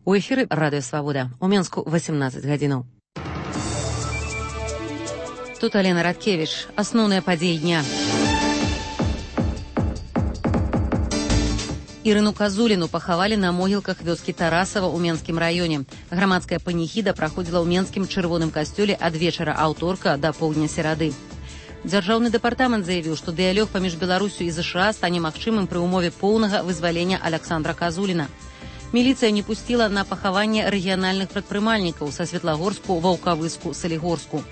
У эфіры Радыё Свабода. У Менску 18 гадзінаў. Тут Алена Радкевіч. Асноўныя падзеі дня. Ірыну Казуліну пахавалі на могілках вёскі Тарасава ў Менскім раёне. Грамадская паніхіда праходзіла ў Менскім чырвоным касцёле ад вечара аўторка да поўдня серады. Дзяржаўны дэпартамент заявіў, што дыялог паміж Беларусю і ЗША стане магчымым пры ўмове поўнага вызвалення Аляксандра Казуліна. Міліцыя не пусціла на пахаванне рэгіянальных прадпрымальнікаў са Светлагорску, Ваўкавыску, Салігорску.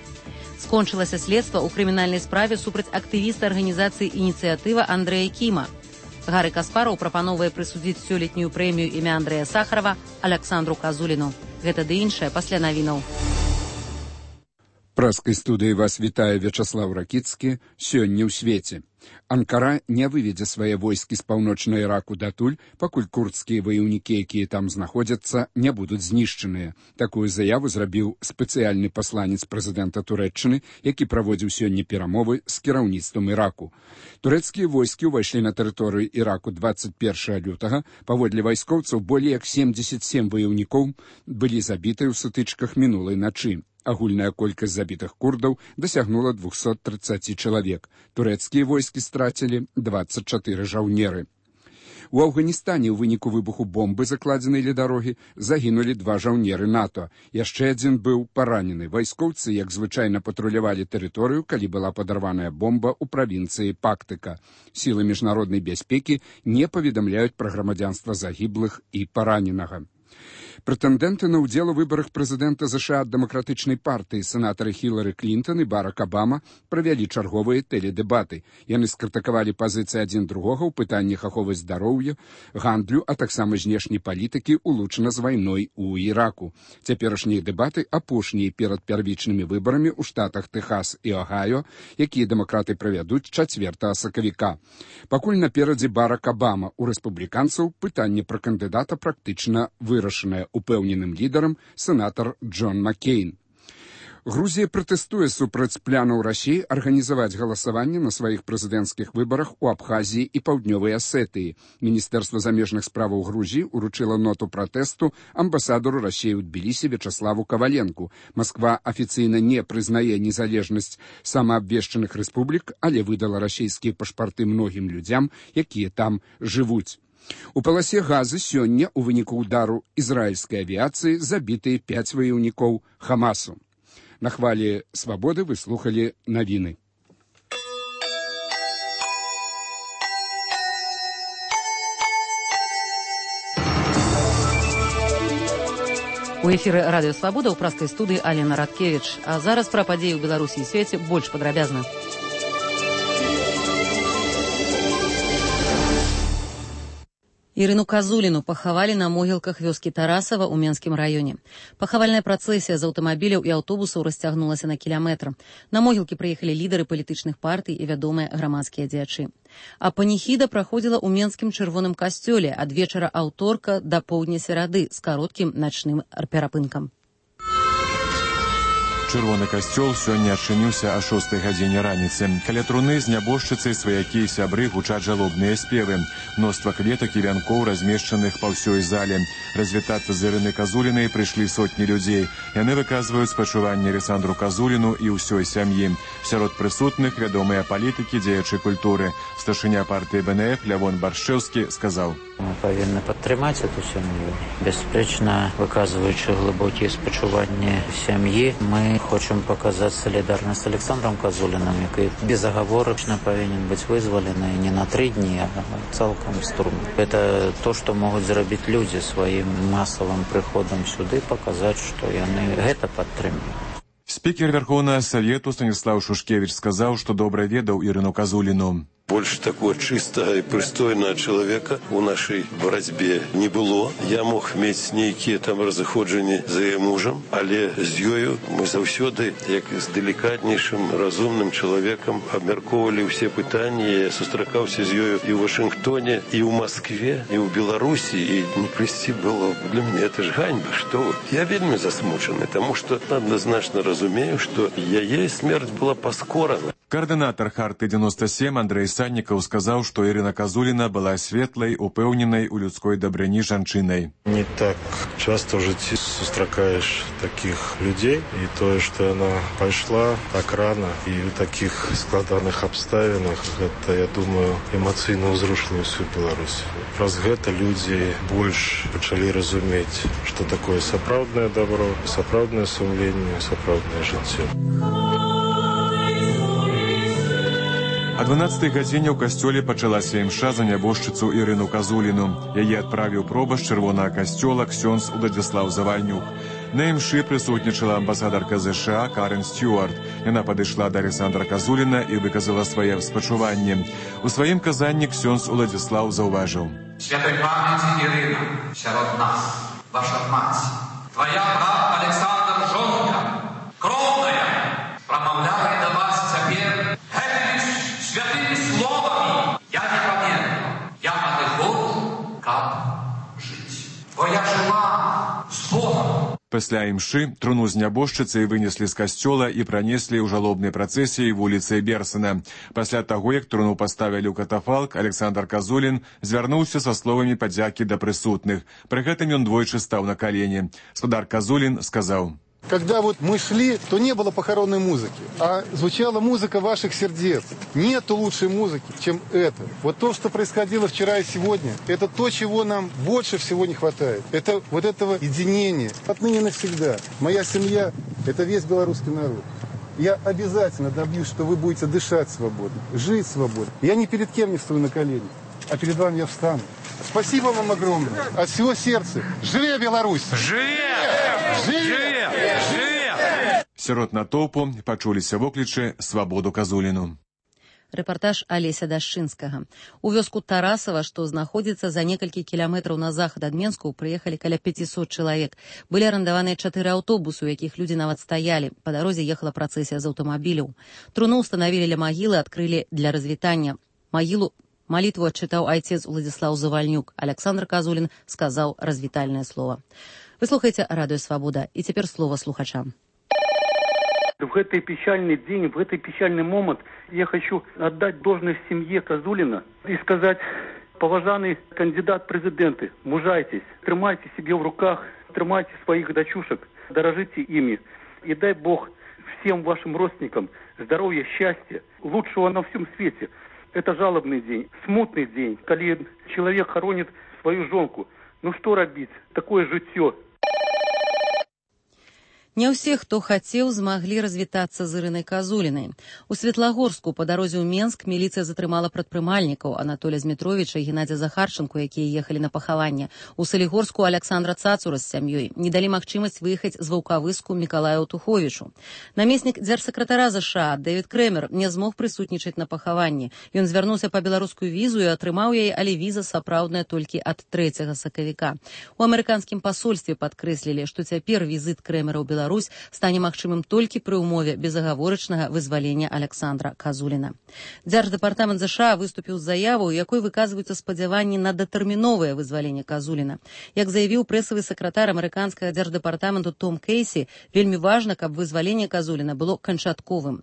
Скончылася следства ў крымінальнай справе супраць актывіста арганізацыі «Ініцыятыва» Андрэя Кіма. Гары Каспараў прапановае прысудзіць сёлетнюю прэмію імя Андрэя Сахарова Аляксандру Казуліну. Гэта ды іншае пасля навінаў. Праскай студыі вас вітае Вячаслаў Ракіцкі. Сёння ў свеце. Анкара не выведзе свае войскі з паўночнага Іраку датуль, пакуль курдскія ваяўнікі, якія там знаходзяцца, не будуць знішчаныя. Такую заяву зрабіў спецыяльны пасланец прэзідэнта Турэччыны, які праводзіў сёння перамовы з кіраўніцтвам Іраку. Турэцкія войскі ўвайшлі на тэрыторыю Іраку 21 лютага. Паводле вайскоўцаў, болей як 77 ваяўнікоў былі забітыя ў сутычках мінулай начы. Агульная колькасць забітых курдаў дасягнула 230 чалавек. Турэцкія войскі страцілі 24 жаўнеры. У Афганістане ў выніку выбуху бомбы, закладзенай ля дарогі, загінулі 2 жаўнеры НАТО. Яшчэ адзін быў паранены. Вайскоўцы, як звычайна, патрулявалі тэрыторыю, калі была падарваная бомба ў правінцыі Пактыка. Сілы міжнароднай бяспекі не паведамляюць пра грамадзянства загіблых і параненага. Прэтэндэнты на ўдзел у выбарах прэзідэнта ЗША ад дэмакратычнай партыі сенатары Хілары Клінтон і Барак Абама правялі чарговыя тэледэбаты. Яны скрытыкавалі пазіцыі адзін другога ў пытаннях аховы здароўя, гандлю, а таксама знешняй палітыкі, улучана з вайной у Іраку. Цяперашнія дэбаты апошнія перад первічнымі выбарамі ў штатах Тэхас і Огайо, якія дэмакраты правядуць 4 сакавіка. Пакуль наперадзе Барак Абама, у рэспубліканцаў пытанне пра кандыдата практычна вырашанае, упэўненым лідарам сенатар Джон Маккейн. Грузія пратэстуе супраць планаў Расіі арганізаваць галасаванне на сваіх прэзідэнцкіх выбарах у Абхазіі і Паўднёвай Асетыі. Міністэрства замежных справаў Грузіі ўручыла ноту пратэсту амбасадару Расіі ў Тбілісі Вячаславу Каваленку. Масква афіцыйна не прызнае незалежнасць самаабвешчаных рэспублік, але выдала расійскія пашпарты многім людзям, якія там жывуць. У паласе Газы сёння ў выніку ўдару ізраільскай авіяцыі забітыя 5 ваяўнікоў Хамасу. На хвалі свабоды вы слухалі навіны. У эфіры Радыё Свабода ў праскай студыі Алена Радкевіч. А зараз пра падзеі ў Беларусі і свеце больш падрабязна. Ірыну Казуліну пахавалі на могілках вёскі Тарасава ў Менскім раёне. Пахавальная працэсія з аўтамабіляў і аўтобусаў расцягнулася на кіламетр. На могілкі прыехалі лідары палітычных партый і вядомыя грамадскія дзеячы. А паніхіда праходзіла ў Менскім чырвоным касцёле ад вечара аўторка да поўдня серады з кароткім начным перапынкам. Чырвоны касцёл сёння адчыніўся о 6 гадзіне раніцы. Каля труны з нябожчыцы, сваякі і сябры гучаць жалобныя спевы. Мноства кветак і вянкоў размешчаных па ўсёй зале. Развітацца з Ірынай Казулінай прыйшлі сотні людзей. Яны выказваюць спачуванне Аляксандру Казуліну і ўсёй сям'і. Сярод прысутных вядомыя палітыкі, дзеячы культуры. Старшыня партыі БНФ Лявон Баршчэўскі сказаў: Мы павінны падтрымаць эту сям'ю. Бясспрэчна, выказваючы глыбокія спачуванні сям'і, мы хочам паказаць салідарнасць з Аляксандром Казуліным, які безагаворачна павінен быць вызвалены не на 3 дні, а цалкам стурм. Это то, што могуць зрабіць людзі сваім масавым прыходам сюды, паказаць, што яны гэта падтрымліваюць. Спікер Верховнага Савету Станіслав Шушкевич сказаў, што добра ведаў Ірыну Казуліну. Больше такого чистого и пристойного человека у нашей борьбе не было. Я мог иметь некие там разыходжения за ее мужем, але з ёю мы заўсёды, як з деликатнейшим, разумным человеком, обмярковывали все пытания. Я сустракаўся з ёю и в Вашингтоне, и в Москве, и в Беларуси, и не плести было. Для меня это ж ганьба, что вы. Я вельми засмучены, потому что однозначно разумею, что яе смерть была паскорана. Координатор Харты-97 Андрей Санников сказал, что Ирина Козулина была светлой, упевненной у людской добрыни жанчиной. Не так часто в житті сустракаешь таких людей, и то, что она пошла так рано и в таких складаных обставинах, это, я думаю, эмоционально узрушило всю Беларусь. Раз гэта люди больше начали разуметь, что такое сапраўднае добро, сапраўднае сумленне, сапраўднае жыццё. О 12-й гадзіне ў касцёле пачалася імша за нябожчыцу Ірыну Казуліну. Яе адправіў проба з чырвонага касцёла ксёндз Уладзіслаў Завальнюк. На імшы прысутнічала амбасадарка США Карен Стюарт. Яна падышла да Александра Казуліна і выказала свае спачуванні. У сваім казанні ксёндз Уладзіслаў заўважыў: Святой памяти Ірына, сярод нас, ваша мать, твоя брат Александр жонка, кровная, промовляет до вас цяпер святыми словами. Я не памятаю, я адыхожу, как жить. Твоя жила с Богом. Пасля імшы труну з нябожчыцай вынеслі з касцёла і пранеслі ў жалобнай працэсіі вуліцай Берсена. Пасля таго, як труну паставілі ў катафалк, Александр Казулін звярнуўся са словамі падзякі да прысутных. Пры гэтым ён двойчы стаў на калені. Спадар Казулін сказаў: Когда вот мы шли, то не было похоронной музыки, а звучала музыка ваших сердец. Нету лучшей музыки, чем это. Вот то, что происходило вчера и сегодня, это то, чего нам больше всего не хватает. Это вот этого единения. Отныне навсегда. Моя семья – это весь белорусский народ. Я обязательно добьюсь, что вы будете дышать свободно, жить свободно. Я ни перед кем не стою на колени, а перед вами я встану. Спасибо вам огромное. От всего сердца. Живе Беларусь! Живе! Живе! Живе! Сярод натоўпу пачуліся воклічы «Свабоду Казуліну». Рэпартаж Алеся Дашчынскага. У вёску Тарасава, што знаходзіцца за некалькі кіламетраў на захад ад Менску, прыехалі каля 500 чалавек. Былі арандаваныя 4 аўтобусы, у якіх людзі нават стаялі. Па дарозе ехала працэсія з аўтамабіляў. Труну ўстанавілі ля магілы, адкрылі для развітання. Молитву отчитал отец Уладзіслаў Завальнюк. Александр Казулін сказал развітальное слово. Вы слухаете Радио Свобода. И теперь слово слухачам. В этот печальный день, в этот печальный момент я хочу отдать должное семье Казулина и сказать: поважанный кандидат в президенты, мужайтесь, тримайте себе в руках, тримайте своих дочушек, дорожите ими. И дай Бог всем вашим родственникам здоровья, счастья, лучшего на всем свете. Это жалобный день, смутный день, когда человек хоронит свою жонку. Ну что робить? Такое жыццё. Не ўсе, хто хацеў, змаглі развітацца з Ірынай Казулінай. У Светлагорску па дарозе ў Менск міліцыя затрымала прадпрымальнікаў Анатолія Змітровіча і Геннадзя Захарченко, якія ехалі на пахаванне. У Салігорску Александра Цацура з сям'ёй не далі магчымасць выехаць з Ваўкавыску Мікалаю Туховічу. Намеснік дзяржсакратара США Дэвід Крэмер не змог прысутнічаць на пахаванні. Ён звярнуўся па беларускую візу і атрымаў яе, але віза сапраўдная толькі ад 3 сакавіка. У амерыканскім пасольстве падкрэслілі, што цяпер візіт Крэмера ў Беларусь стане магчымым толькі пры ўмове безагаворачнага вызвалення Александра Казуліна. Дзярждэпартамент США выступіў з заяву, у якой выказваюцца спадзяванні на датэрміновае вызваленне Казуліна. Як заявіў прэсавы сакратар амерыканскага дзярждэпартаменту Том Кейсі, вельмі важна, каб вызваленне Казуліна было канчатковым.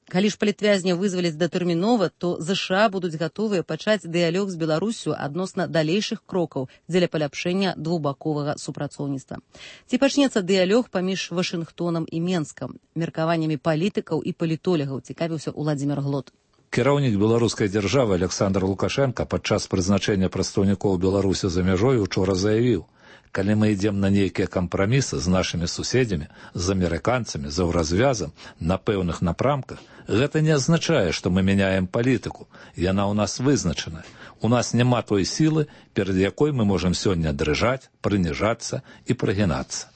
Калі ж палітвязня вызваляць датэрмінова, то США будуць гатовыя пачаць дыялог з Беларуссю адносна далейшых крокаў дзеля паляпшэння двухбаковага супрацоўніцтва. Ці пачнецца дыялог паміж Вашынгтонам і Менскам? Меркаваннямі палітыкаў і палітолагаў цікавіўся Уладзімір Глот. Кіраўнік беларускай дзяржавы Александр Лукашенко падчас прызначэння прадстаўнікоў Беларусі за мяжой учора заявіў: калі мы ідзем на нейкія кампрамісы з нашымі суседзямі, з амерыканцамі, за ўразвязам, на пэўных напрамках, гэта не азначае, што мы мяняем палітыку. Яна ў нас вызначаная. У нас няма той сілы, перад якой мы можам сёння дрыжаць, прыніжацца і прыгінацца.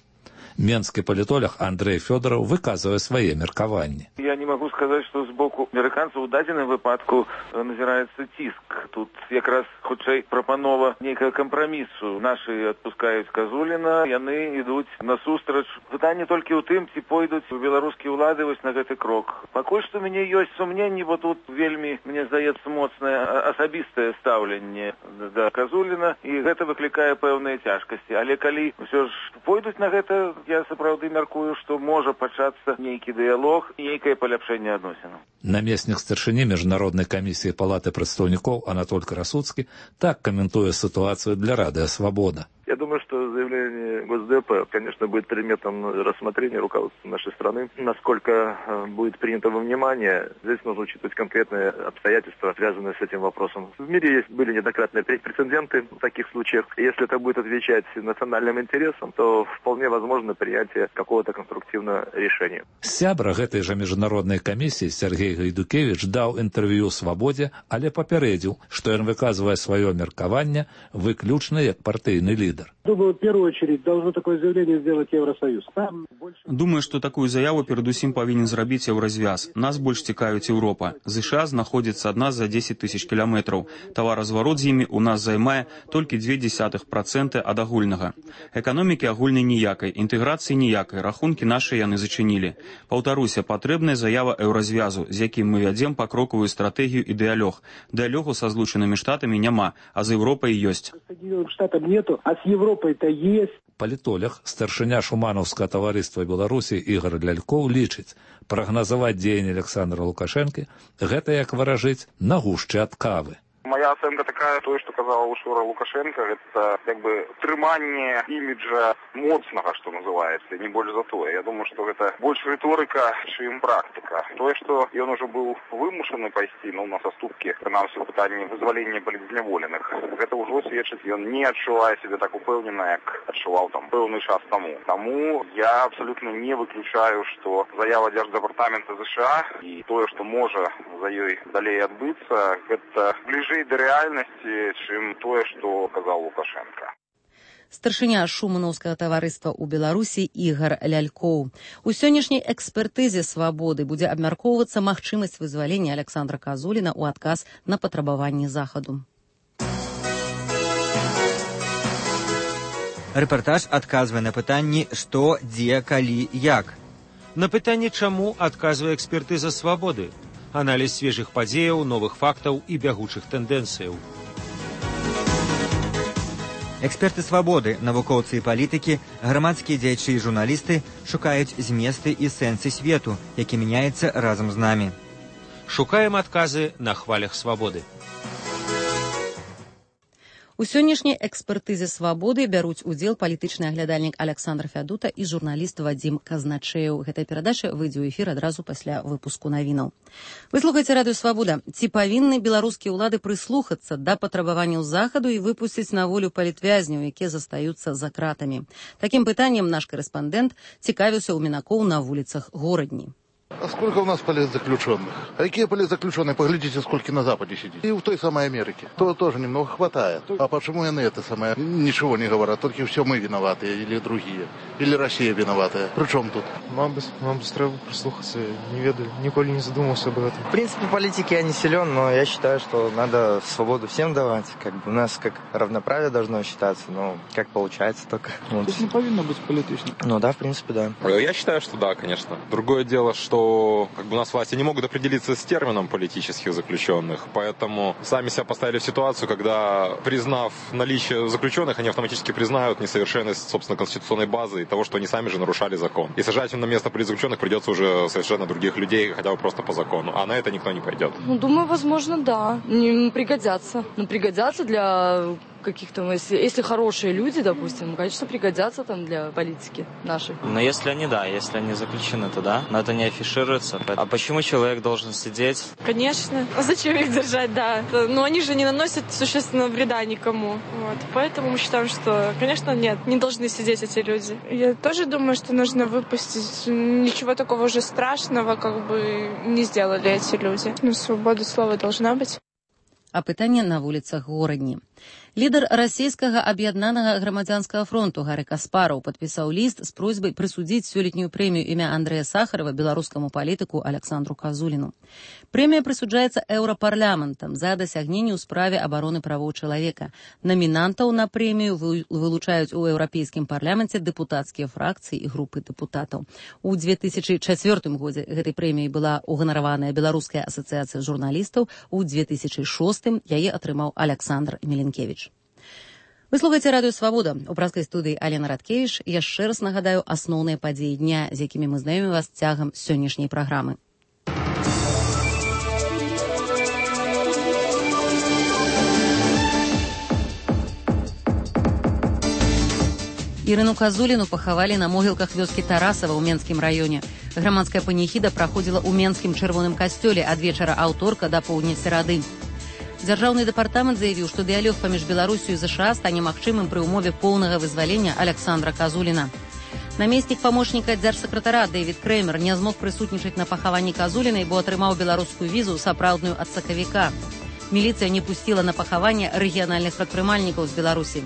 Менскі палітолог Андрей Фёдоров выказывае свае меркаванні. Я не могу сказать, что с боку американцев у дадзеным выпадку назирается тиск. Тут якраз хутчэй прапанова нейкага кампрамісу. Нашы адпускаюць Казуліна, яны ідуць насустрач. Пытанне толькі ў тым, ці пойдуць беларускія ўлады вось на гэты крок. Пакуль што у мяне ёсць сумненні, бо тут вельмі, мне здаецца, моцнае асабістае стаўленне да Казуліна, і гэта выклікае пэўныя цяжкасці. Але калі ўсё ж пойдуць на гэта, я сапраўды мяркую, што можа пачацца нейкі дыялог, нейкае паляпшэнне адносінаў. Намеснік старшыні Міжнароднай камісіі Палаты прадстаўнікоў Анатоль Красуцкі так каментуе ситуацию для Радио Свобода. Я думаю, что заявление Госдепа, конечно, будет предметом рассмотрения руководства нашей страны. Насколько будет принято во внимание, здесь нужно учитывать конкретные обстоятельства, связанные с этим вопросом. В мире были неоднократные прецеденты в таких случаях. Если это будет отвечать национальным интересам, то вполне возможно принятие какого-то конструктивного решения. Сябра гэтай жа міжнароднай камісіі Сергей Гайдукевич даў інтэрв'ю «Свабодзе», але папярэдзіў, што ён выказвае сваё меркаванне выключна як партыйны лідар. Думаю, в первую очередь должно такое заявление сделать Евросоюз. Думаю, што такую заяву перадусім павінен зрабіць Еўразвяз. Нас больш цікавіць Еўропа. ЗША знаходзіцца ад нас за 10 тысяч кіламетраў. Таваразварот з імі у нас займае толькі 0,2% ад агульнага. Эканомікі агульнай ніякай, інтэграцыі ніякай, рахункі нашы яны зачынілі. Паўтаруся, патрэбная заява Еўразвязу, з якім мы вядзем пакрокавую стратэгію і дыялог. Дыялогу са Злучанымі Штатамі няма, а з Еўропай ёсць. Штатам нету, а с Европой-то есть. Палітолог, старшыня Шуманаўскага таварыства Беларусі Ігор Лялькоў лічыць, прагназаваць дзеянні Александра Лукашэнкі гэта як варажыць на гушчы ад кавы. Моя оценка такая, то, что сказал учора Лукашенко, это как бы трымание имиджа моцнага, что называется, не больше за то. Я думаю, что это больше риторика, чем практика. То, что он уже был вымушены пойти, на соступки, принамсі, в питанні вызволения политзневоленых, это уже свідчить, он не адчуває себе так упевнено, як адчував там певний час тому. Тому я абсолютно не выключаю, что заява Держдепартамента США и то, что може за ёй далей адбыцца, это ближе до реальности, чем то, что сказал Лукашенко. Старшыня Шуманаўскага таварыства ў Беларусі Ігар Лялькоў. У сённяшняй экспертызе «Свабоды» будзе абмяркоўвацца магчымасць вызвалення Александра Казуліна ў адказ на патрабаванні захаду. Рэпартаж адказвае на пытанні «Што, дзе, калі, як?». На пытанне «Чаму?» адказвае экспертыза «Свабоды». Аналіз свежых падзеяў, новых фактаў і бягучых тэндэнцыяў. Эксперты «Свабоды», навукоўцы і палітыкі, грамадскія дзеячы і журналісты шукаюць зместы і сэнсы свету, які мяняецца разам з намі. Шукаем адказы на хвалях «Свабоды». У сённяшняй экспертызе «Свабоды» бяруць удзел палітычны аглядальнік Александр Фядута і журналіст Вадзім Казначэў. Гэтая перадача выйдзе ў эфір адразу пасля выпуску навінаў. Вы слухаеце радыё «Свабода». Ці павінны беларускія ўлады прыслухацца да патрабаванняў захаду і выпусціць на волю палітвязняў, якія застаюцца за кратамі? Такім пытаннем наш корэспандэнт цікавіўся ў мінакоў на вуліцах горадні. А сколько у нас политзаключенных? А какие политзаключенные? Поглядите, сколько на Западе сидит. И в той самой Америке. То тоже немного хватает. А почему и на это самое ничего не говорят? Только все мы виноваты или другие. Или Россия виноватая. При чем тут? Мабуть, треба прислухаться. Не ведаю. Николи не задумывался об этом. В принципе, в политике я не силен, но я считаю, что надо свободу всем давать. Как бы у нас как равноправие должно считаться, но как получается только. То есть не повинно быть политичным? Ну да, в принципе, да. Я считаю, что да, конечно. Другое дело, что как бы у нас власти не могут определиться с термином политических заключенных, поэтому сами себя поставили в ситуацию, когда, признав наличие заключенных, они автоматически признают несовершенность, собственно, конституционной базы и того, что они сами же нарушали закон. И сажать им на место политзаключенных придется уже совершенно других людей, хотя бы просто по закону. А на это никто не пойдет. Ну, думаю, возможно, да. Не пригодятся. Ну, пригодятся для каких-то, если хорошие люди, допустим, конечно, пригодятся там для политики нашей. Но если они, да, если они заключены, то да, но это не афишируется. А почему человек должен сидеть? Конечно. А зачем их держать, да? Но они же не наносят существенного вреда никому. Вот. Поэтому мы считаем, что, конечно, нет, не должны сидеть эти люди. Я тоже думаю, что нужно выпустить. Ничего такого уже страшного, как бы, не сделали эти люди. Но свобода слова должна быть. А пытанне на вуліцах горадні. Лідар расійскага аб'яднанага грамадзянскага фронту Гары Каспараў падпісаў ліст з просьбай прысудзіць сёлетнюю прэмію імя Андрэя Сахарова беларускаму палітыку Александру Казуліну. Прэмія прысуджаецца еўрапарламентам за дасягненні ў справе абароны правоў чалавека. Намінантаў на прэмію вылучаюць у еўрапейскім парламенце дэпутацкія фракцыі і групы дэпутатаў. У 2004 годзе гэтай прэміяй была уганараваная Беларуская асацыяцыя журналістаў, у 2006 яе атрымаў Александр Меленкевич. Вы слухаеце радыё Свабода. У праскай студыі Алена Радкевіч. Яшчэ раз нагадаю асноўныя падзеі дня, з якімі мы знаёмім вас цягам сённяшняй праграмы. Ірыну Казуліну пахавалі на могілках вёскі Тарасава ў Менскім раёне. Грамадская паніхіда праходзіла ў Менскім чырвоным касцёле ад вечара аўторка да поўдня серады. Дзяржаўны дэпартамент заявіў, што дыялог паміж Беларусю і ЗША стане магчымым пры ўмове поўнага вызвалення Александра Казуліна. Намеснік памочніка дзяржсакратара Дэвід Крэмер не змог прысутнічаць на пахаванні Казуліна, бо атрымаў беларускую візу сапраўдную ад сакавіка. Міліцыя не пусціла на пахаванне рэгіянальных прадпрымальнікаў з Беларусі.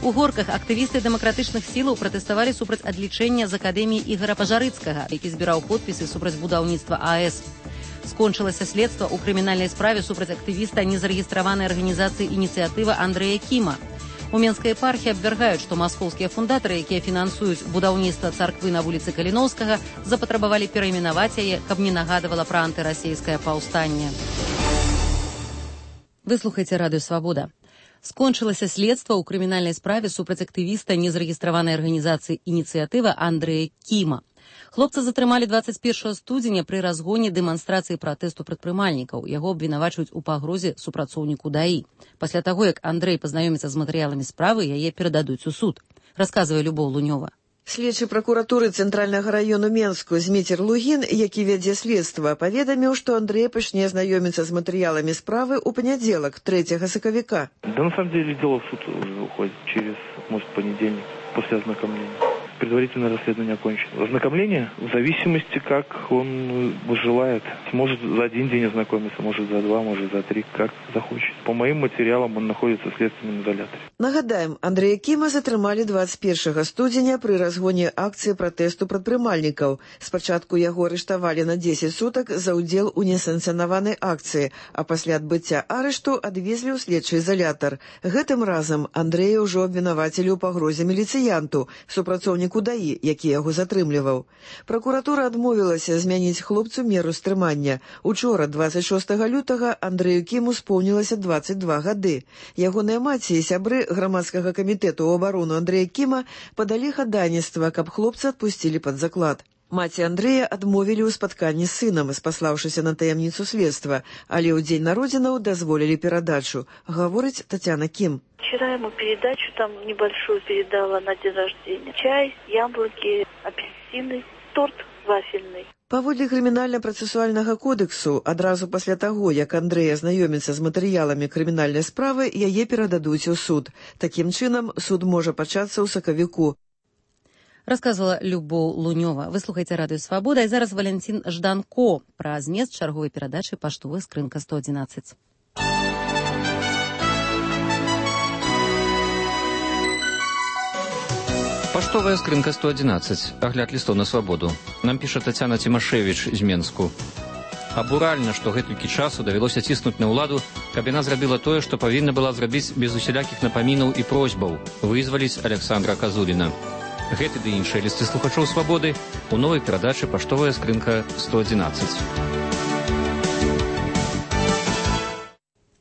У Горках актывісты дэмакратычных сілаў пратэставалі супраць адлічэння з акадэміі Ігара Пажарыцкага, які збіраў подпісы супраць будаўніцтва АЭС. Скончылася следства ў крымінальнай справе супраць актывіста незарэгістраванай арганізацыі «Ініцыятыва» Андрэя Кіма. У Менскай епархіі абвяргаюць, што маскоўскія фундатары, якія фінансуюць будаўніцтва царквы на вуліцы Каліноўскага, запатрабавалі перайменаваць яе, каб не нагадывала пра антырасійскае паўстанне. Вы слухаеце радыё Свабода. Скончылася следства ў крымінальнай справе супраць актывіста незарэгістраванай арганізацыі «Ініцыятыва» Андрэя Кіма. Хлопца затрымалі 21 студзеня пры разгоне дэманстрацыі пратэсту прадпрымальнікаў. Яго абвінавачваюць у пагрозе супрацоўніку ДАІ. Пасля таго, як Андрэй пазнаёміцца з матэрыяламі справы, яе перададуць у суд. Расказвае Любоў Лунёва. Следчы пракуратуры Цэнтральнага раёну Менску Зміцер Лугін, які вядзе следства, паведаміў, што Андрэй пачне знаёміцца з матэрыяламі справы ў панядзелак, 3 сакавіка. Да, на самом деле, дело в суд уже уходит через, может, понедельник, после ознакомления. Предварительное расследование окончено. Ознакомление в зависимости, как он желает. Может за один день ознакомиться, может за 2, может за 3, как захочет. По моим материалам он находится в следственном изоляторе. Нагадаем, Андрэя Кіма затрымалі 21 студзеня пры разгоне акцыі пратэсту прадпрымальнікаў. Спачатку яго арыштавалі на 10 сутак за ўдзел у несанкцыянаванай акцыі, а пасля адбыцця арышту адвезлі ў следчы изолятар. Гэтым разам Андрэя ўжо абвінавацілі ў пагрозе міліцыянту, супрацоўніку ДАІ, які яго затрымліваў. Пракуратура адмовілася змяніць хлопцу меру стрымання. Учора, 26 лютага, Андрэю Кіму споўнілася 22 гады. Ягоныя маці і сябры грамадскага камітэту ў абарону Андрэя Кіма падалі хадайніцтва, каб хлопца адпусцілі пад заклад. Маці Андрэя адмовілі ў спатканні з сынам, спаслаўшыся на таямніцу следства, але ў дзень народзінаў дазволілі перадачу, гаворыць Татьяна Кім. Вчера ему передачу там небольшую передала на день рождения. Чай, яблоки, апельсины, торт вафельный. Паводле крымінальна-працэсуальнага кодексу, адразу пасля таго, як Андрэй азнаёміцца з матэрыяламі крымінальнай справы, яе перададуць у суд. Такім чынам, суд можа пачацца ў сакавіку. Расказвала Любоў Лунёва. Вы слухаеце радыё Свабода, і зараз Валянцін Жданко пра змест чарговай перадачы паштовая скрынка 111. Паштовая скрынка 111. Агляд лістоў на свабоду. Нам піша Тацяна Цімашевіч з Менску. Абуральна, што гэтулькі часу давялося ціснуць на ўладу, каб яна зрабіла тое, што павінна была зрабіць без усялякіх напамінаў і просьбаў – вызваліць Александра Казуліна. Гэты ды іншыя лісты слухачоў свабоды у новай перадачы «Паштовая скрынка 111».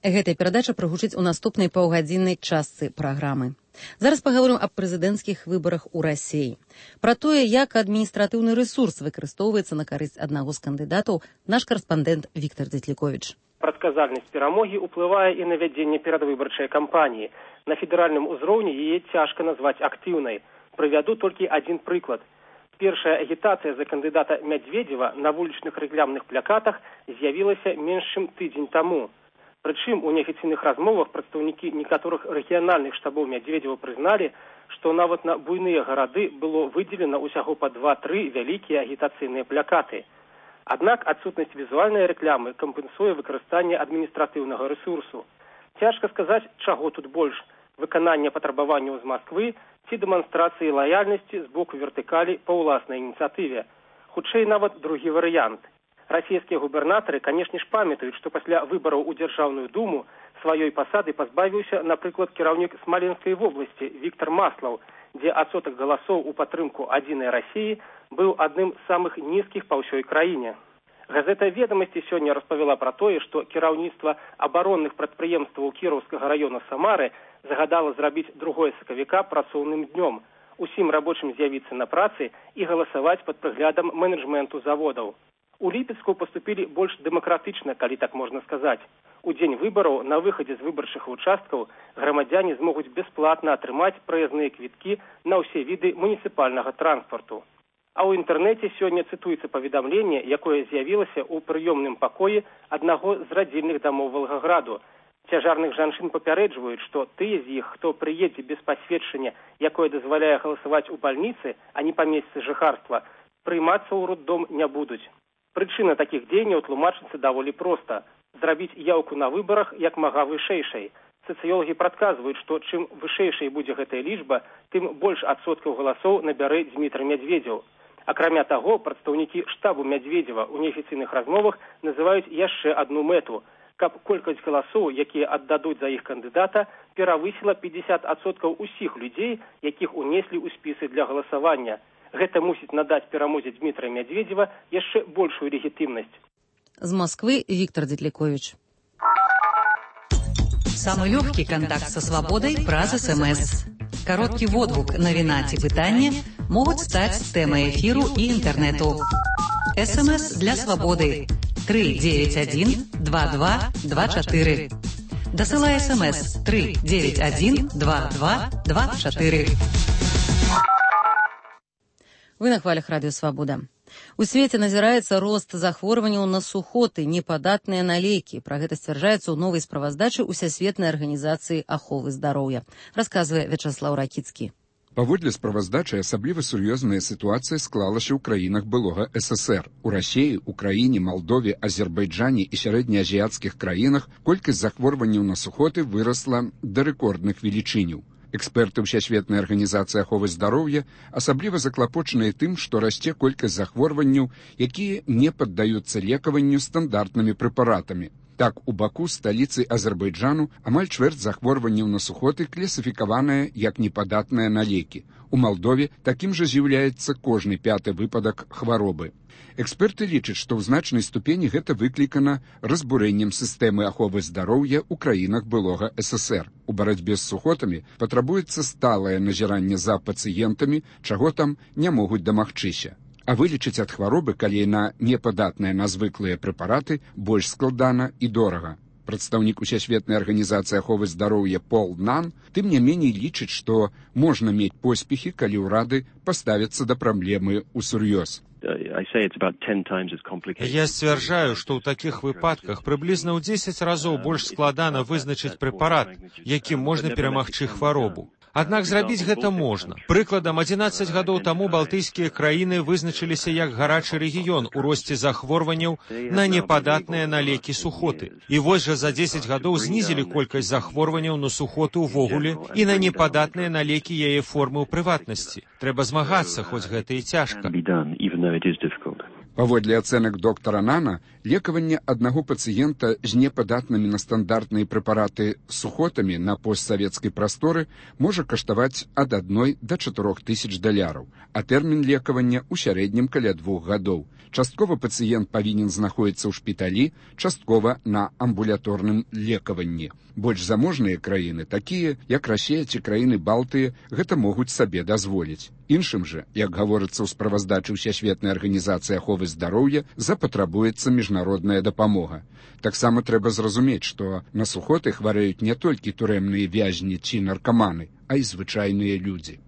Гэтая перадача прагучыць у наступнай паўгадзіннай частцы праграмы. Зараз паговорым аб прэзідэнцкіх выбарах у Расіі. Пра тое, як адміністратыўны рэсурс выкарыстоўваецца на карысць аднаго з кандыдатаў, наш карэспандэнт Віктор Дзетліковіч. Прадказальнасць перамогі ўплывае і на вядзенне перадвыбарчай кампаніі. На федэральным узроўні яе цяжка назваць актыўнай. Прывяду толькі адзін прыклад. Першая агітацыя за кандыдата Мядзведзева на вулічных рэкламных плакатах з'явілася менш чым тыдзень таму. Прычым у неафіцыйных размовах прадстаўнікі некаторых рэгіянальных штабоў Мядзведзева прызналі, што нават на буйныя гарады было выдзелена ўсяго па 2-3 вялікія агітацыйныя плакаты. Аднак адсутнасць візуальнай рэкламы кампенсуе выкарыстанне адміністратыўнага рэсурсу. Цяжка сказаць, чаго тут больш – выканання патрабаванняў з Масквы ці дэманстрацыі лаяльнасці з боку вертыкалі па ўласнай ініцыятыве. Хутчэй нават другі варыянт. Расійскія губернатары, канешне ж, памятаюць, што пасля выбараў у Дзяржаўную думу сваёй пасады пазбавіўся, напрыклад, кіраўнік Смаленскай вобласці Віктор Маслаў, дзе адсотак галасоў у падтрымку адзінай Расіі быў адным з самых нізкіх па ўсёй краіне. Газета «Ведомости» сёння распавяла пра тое, што кіраўніцтва абаронных прадпрыемстваў Кіроўскага раёна Самары загадала зрабіць 2 сакавіка працоўным днём. Усім рабочым з'явіцца на працы і галасаваць пад прыглядам менеджменту заводаў. У Ліпецку паступілі больш дэмакратычна, калі так можна сказаць. У дзень выбараў на выхадзе з выбарчых участкаў грамадзяне змогуць бясплатна атрымаць праязныя квіткі на ўсе віды муніцыпальнага транспарту. А ў інтэрнэце сёння цытуецца паведамленне, якое з'явілася ў прыёмным пакоі аднаго з радзільных дамоў Валгаграду. Цяжарных жанчын папярэджваюць, што тыя з іх, хто прыедзе без пасведчання, якое дазваляе галасаваць у бальніцы, а не па месцы жыхарства, прыймацца ў роддом не будуць. Прычына такіх дзеянняў тлумачыцца даволі проста – зрабіць яўку на выбарах як мага вышэйшай. Сацыёлагі прадказваюць, што чым вышэйшай будзе гэтая лічба, тым больш адсоткаў галасоў набярэ Дзмітрый Мядзведзеў. Акрамя таго, прадстаўнікі штабу Мядзведзева ў неафіцыйных размовах называюць яшчэ адну мэту – каб колькасць галасоў, якія аддадуць за іх кандыдата, перавысіла 50% усіх людзей, якіх унеслі ў спісы для галасавання. Гэта мусіць надаць перамозе Дмітрия Медведева яшчэ большую легітимнасць. З Москвы Виктор Детлякович. Самый легкий контакт со свободой праз СМС. Короткий водгук навіна ці пытання могуць стаць тэмай эфіру і інтэрнэту. СМС для свободы 391 22 24. Дасылай СМС 391 22 24. Вы на хвалях радыё «Свабода». У свеце назіраецца рост захворванняў на сухоты, непадатныя на лекі. Пра гэта сцвярджаецца ў новай справаздачы Усесветнай арганізацыі аховы здароўя. Расказвае Вячаслаў Ракіцкі. Паводле справаздачы асабліва сур'ёзная сітуацыя склалася ў краінах былога ССР. У Расіі, Украіне, Малдове, Азербайджане і сярэднеазіяцкіх краінах колькасць захворванняў на сухоты вырасла да рэкордных велічыняў. Эксперты Усесветнай арганізацыі аховы здароўя асабліва заклапочаныя тым, што расце колькасць захворванняў, якія не паддаюцца лекаванню стандартнымі прэпаратамі. Так, у Баку, сталіцы Азербайджану, амаль чвэрць захворванняў на сухоты класіфікаваная як непадатная на лекі. У Малдове такім жа з'яўляецца кожны 5-ы выпадак хваробы. Эксперты лічаць, што ў значнай ступені гэта выклікана разбурэннем сістэмы аховы здароўя ў краінах былога ССР. У барацьбе з сухотамі патрабуецца сталае назіранне за пацыентамі, чаго там не могуць дамагчыся. А вылечыць ад хваробы, калі яна непадатная на звыклыя прэпараты, больш складана і дорага. Прадстаўнік Усесветнай арганізацыі аховы здароўя Пол Нан тым не меней лічыць, што можна мець поспехі, калі ўрады паставяцца да праблемы ўсур'ёз. Я сцвярджаю, што ў такіх выпадках прыблізна ў 10 разоў больш складана вызначыць прэпарат, якім можна перамагчы хваробу. Аднак зрабіць гэта можна. Прыкладам, 11 гадоў таму балтыйскія краіны вызначыліся як гарачы рэгіён у росце захворванняў на непадатныя на лекі сухоты. І вось жа за 10 гадоў знізілі колькасць захворванняў на сухоты ўвогуле і на непадатныя на лекі яе формы ў прыватнасці. Трэба змагацца, хоць гэта і цяжка. Паводле ацэнак доктара Нана, лекаванне аднаго пацыента з непадатнымі на стандартныя прэпараты сухотамі на постсавецкай прасторы можа каштаваць ад 1 до 4 тысяч $, а тэрмін лекавання ў сярэднім каля 2 гадоў. Часткова пацыент павінен знаходзіцца ў шпіталі, часткова на амбулаторным лекаванні. Больш заможныя краіны, такія як Расія ці краіны Балтыі, гэта могуць сабе дазволіць. Іншым жа, як гаворыцца ў справаздачы Усесветнай арганізацыі аховы здароўя, запатрабуецца міжнародная дапамога. Таксама трэба зразумець, што на сухоты хварэюць не толькі турэмныя вязні ці наркаманы, а і звычайныя людзі.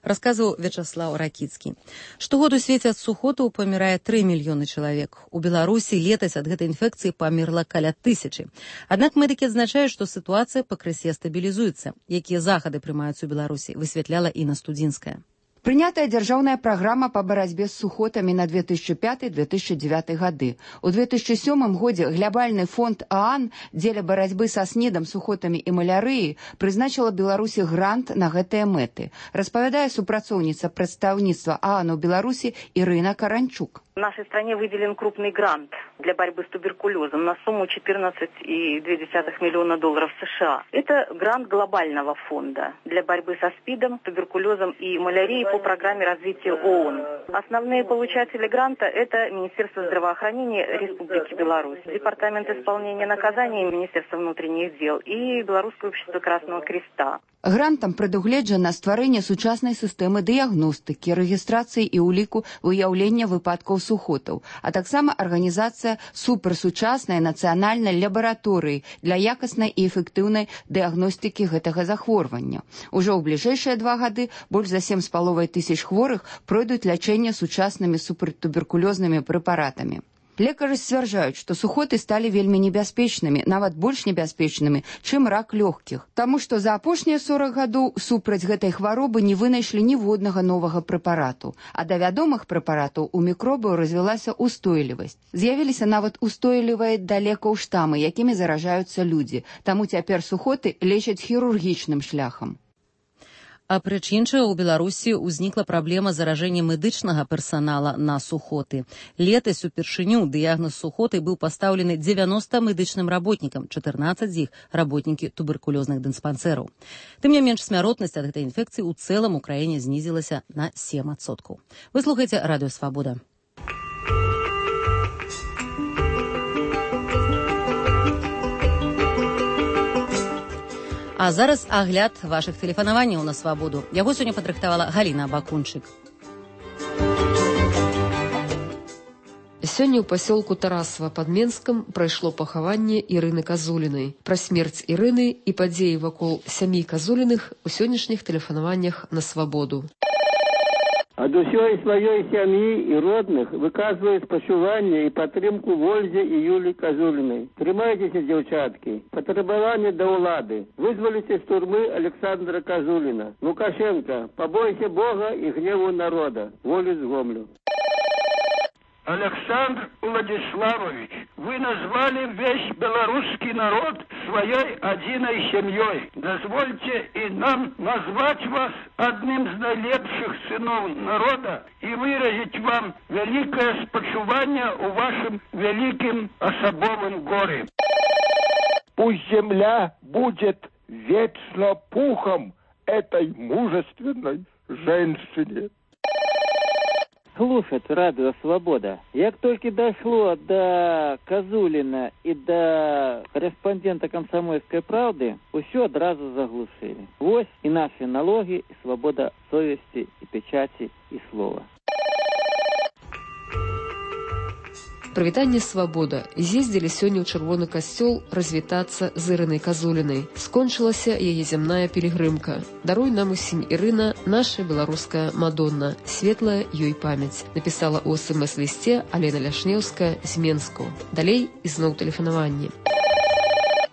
Расказваў Вячаслаў Ракіцкі. Штогод у свеце ад сухотаў памірае 3 мільёны чалавек. У Беларусі летась ад гэтай інфекцыі памерла каля 1000. Аднак медыкі адзначаюць, што сітуацыя пакрысе стабілізуецца. Якія захады прымаюцца ў Беларусі, высвятляла Інна Студзінская. Прынятая дзяржаўная праграма па барацьбе з сухотамі на 2005-2009 гады. У 2007 годзе глябальны фонд ААН дзеля барацьбы са снедам, сухотамі і малярыяй прызначыла Беларусі грант на гэтыя мэты. Распавядае супрацоўніца прадстаўніцтва ААН у Беларусі Ірына Каранчук. В нашей стране выделен крупный грант для борьбы с туберкулезом на сумму $14,2 миллиона США. Это грант глобального фонда для борьбы со СПИДом, туберкулезом и малярией по программе развития ООН. Основные получатели гранта – это Министерство здравоохранения Республики Беларусь, Департамент исполнения наказаний Министерства внутренних дел и Белорусское общество Красного Креста. Грантам прадугледжана стварэнне сучаснай сістэмы дыягностыкі, рэгістрацыі і ўліку выяўлення выпадкаў сухотаў, а таксама арганізацыя суперсучаснай нацыянальнай лабараторыі для якаснай і эфектыўнай дыягностыкі гэтага захворвання. Ужо ў бліжэйшыя 2 гады больш за 7,5 тысяч хворых пройдуць лячэнне сучаснымі супертуберкулёзнымі прэпаратамі. Лекары сцвярджаюць, што сухоты сталі вельмі небяспечнымі, нават больш небяспечнымі, чым рак лёгкіх, таму што за апошнія 40 гадоў супраць гэтай хваробы не вынайшлі ніводнага новага прэпарату, а да вядомых прэпаратаў у мікробаў развілася устойлівасць. З'явіліся нават устойлівыя да лекаў штамы, якімі заражаюцца людзі, таму цяпер сухоты лечаць хірургічным шляхам. Апроч іншага, у Беларусі ўзнікла праблема заражэння медычнага персанала на сухоты. Летась упершыню дыягноз сухоты быў пастаўлены 90 медычным работнікам, 14 з іх работнікі туберкулёзных дыспансераў. Тым не менш, смяротнасць ад гэтай інфекцыі ў цэлым у краіне знізілася на 7%. Вы слухаеце Радыё Свабода. А зараз агляд вашых тэлефанаванняў на свабоду. Яго сёння падрыхтавала Галіна Бакунчык. Сёння ў пасёлку Тарасава пад Менскам прайшло пахаванне Ірыны Казулінай. Пра смерць Ірыны і падзеі вакол сям'і Казуліных у сённяшніх тэлефанаваннях на свабоду. Ад усёй сваёй сям'і і родных выказваю спачуванне і падтрымку Вользе і Юлі Казулінай. Трымайцеся, дзяўчаткі. Патрабаванне да ўлады. Вызваліце з турмы Александра Казуліна. Лукашенко, побойся Бога і гневу народа. Волю з Гомлю. Александр Владиславович, вы назвали весь белорусский народ своей одиной семьей. Дозвольте и нам назвать вас одним из наилепших сынов народа и выразить вам великое спочувание у вашем великим особовом горе. Пусть земля будет вечно пухом этой мужественной женщине. Слушать Радио Свобода. Як только дошло до Казулина и до корреспондента «Комсомольской правды», все одразу заглушили. Вот и наши налоги, и свобода совести, и печати, и слова. Прывітанне «Свабода». З'ездзілі сёння ў Чырвоны касцёл развітацца з Ірынай Казулінай. Скончылася яе зямная пілігрымка. Даруй нам усім, Ірына, наша беларуская Мадонна. Светлая ёй памяць. Напісала ў СМС-лісце Алена Ляшнеўская з Менску. Далей ізноў тэлефанаванне.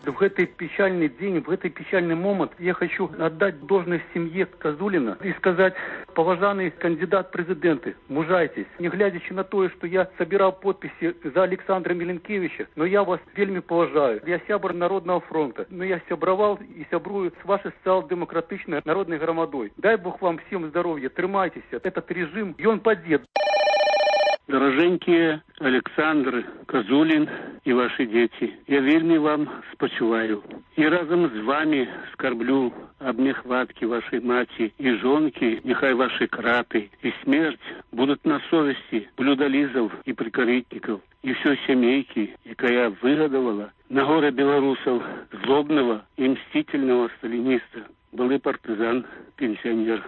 В этот печальный день, в этот печальный момент я хочу отдать должность семье Казулина и сказать: поважанный кандидат в президенты, мужайтесь. Не глядячи на то, что я собирал подписи за Александра Миленкевича, но я вас вельми поважаю. Я сябр Народного фронта, но я сябровал и сябрую с вашей социал-демократичной народной громадой. Дай Бог вам всем здоровья, трымайтесь. Этот режим, и он падет. Дороженькие Александр Казулин и ваши дети, я вельми вам спочуваю. И разом с вами скорблю об нехватке вашей мати и жонки, нехай ваши краты и смерть будут на совести блюдолизов и прикоритников, и все семейки, якая выгодовала на горе белорусов злобного и мстительного сталиниста, былый партизан, пенсионер.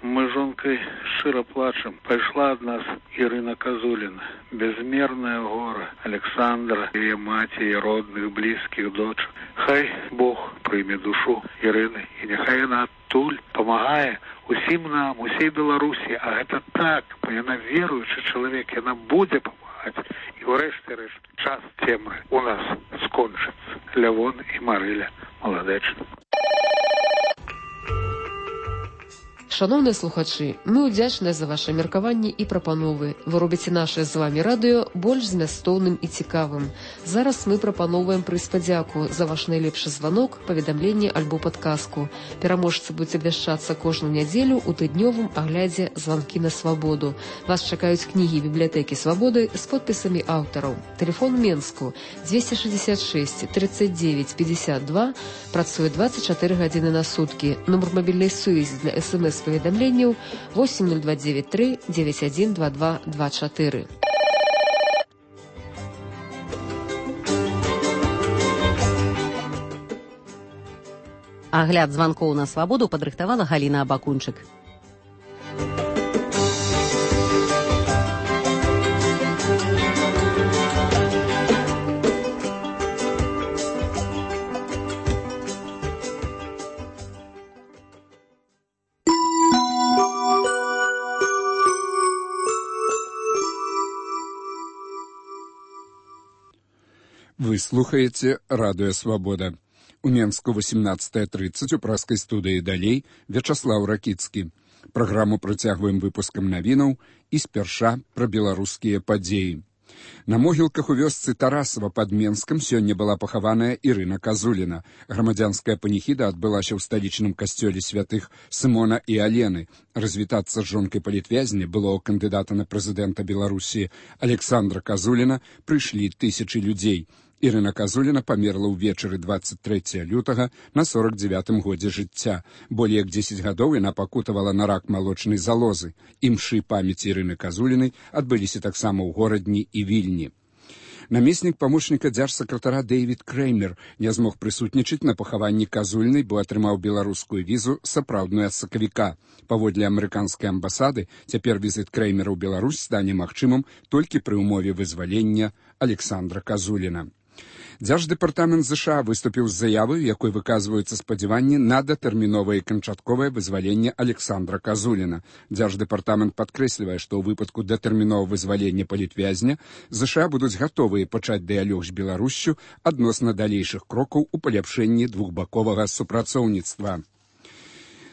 Мы с жонкой широ плачем. Пошла от нас Ирина Казулина. Безмерное горе Александра, ее мати, и родных, близких, дочь. Хай Бог прийме душу Ірини. І нехай вона туль помагає усім нам, усій Білорусі. А це так, вона віруючий чоловік, вона буде допомагати. І врешті-решт час темри у нас скончиться. Лявон і Мариля Молодечно. Шановныя слухачы, мы ўдзячныя за ваши меркаванні і прапановы. Вы робіце наше з вами радыё больш змястоўным і цікавым. Зараз мы прапановваем прыз падзяку за ваш найлепшы званок, паведамленне альбо падказку. Пераможцы будуць абвяшчацца кожную нядзелю ў тыднёвым аглядзе «Званкі на свабоду». Вас чакаюць кнігі бібліятэкі свабоды з подпісамі аўтараў. Тэлефон Менску 266 39 52, працуе 24 гадзіны на суткі. Нумар мабільнай сувязі для СМС-паведамленняў 8029 3 9122 24. Агляд званкоў на свабоду падрыхтавала Галіна Абакунчык. Вы слухаеце радыё «Свабода». У Менску 18:30 у праскай студыі «Далей» Вячаслаў Ракіцкі. Праграму працягваем выпускам навінаў і спярша пра беларускія падзеі. На могілках у вёсцы Тарасава пад Менскам сёння была пахаваная Ірына Казуліна. Грамадзянская паніхіда адбылася ў сталічным касцёле святых Сымона і Алены. Развітацца з жонкай палітвязня, былого кандыдата на прэзідэнта Беларусі Александра Казуліна, прыйшлі тысячы людзей. Ірына Казуліна памерла ўвечары 23 лютага на 49-м годзе жыцця. Болей як 10 гадоў яна пакутавала на рак малочнай залозы. Імшы памяці Ірыны Казулінай адбыліся таксама ў горадні і Вільні. Намеснік памочніка дзяржсакратара Дэйвід Крэймер не змог прысутнічаць на пахаванні Казулінай, бо атрымаў беларускую візу сапраўдную ад сакавіка. Паводле амерыканскай амбасады, цяпер візіт Крэймера ў Беларусь стане магчымым толькі пры ўмове вызвалення Александра Казуліна. Дзярждэпартамент ЗША выступіў з заявай, у якой выказваюцца спадзяванні на датэрміновае і канчатковае вызваленне Александра Казуліна. Дзярждэпартамент падкрэслівае, што ў выпадку датэрміновага вызвалення палітвязня ЗША будуць гатовыя пачаць дыялог з Беларуссю адносна далейшых крокаў у паляпшэнні двухбаковага супрацоўніцтва.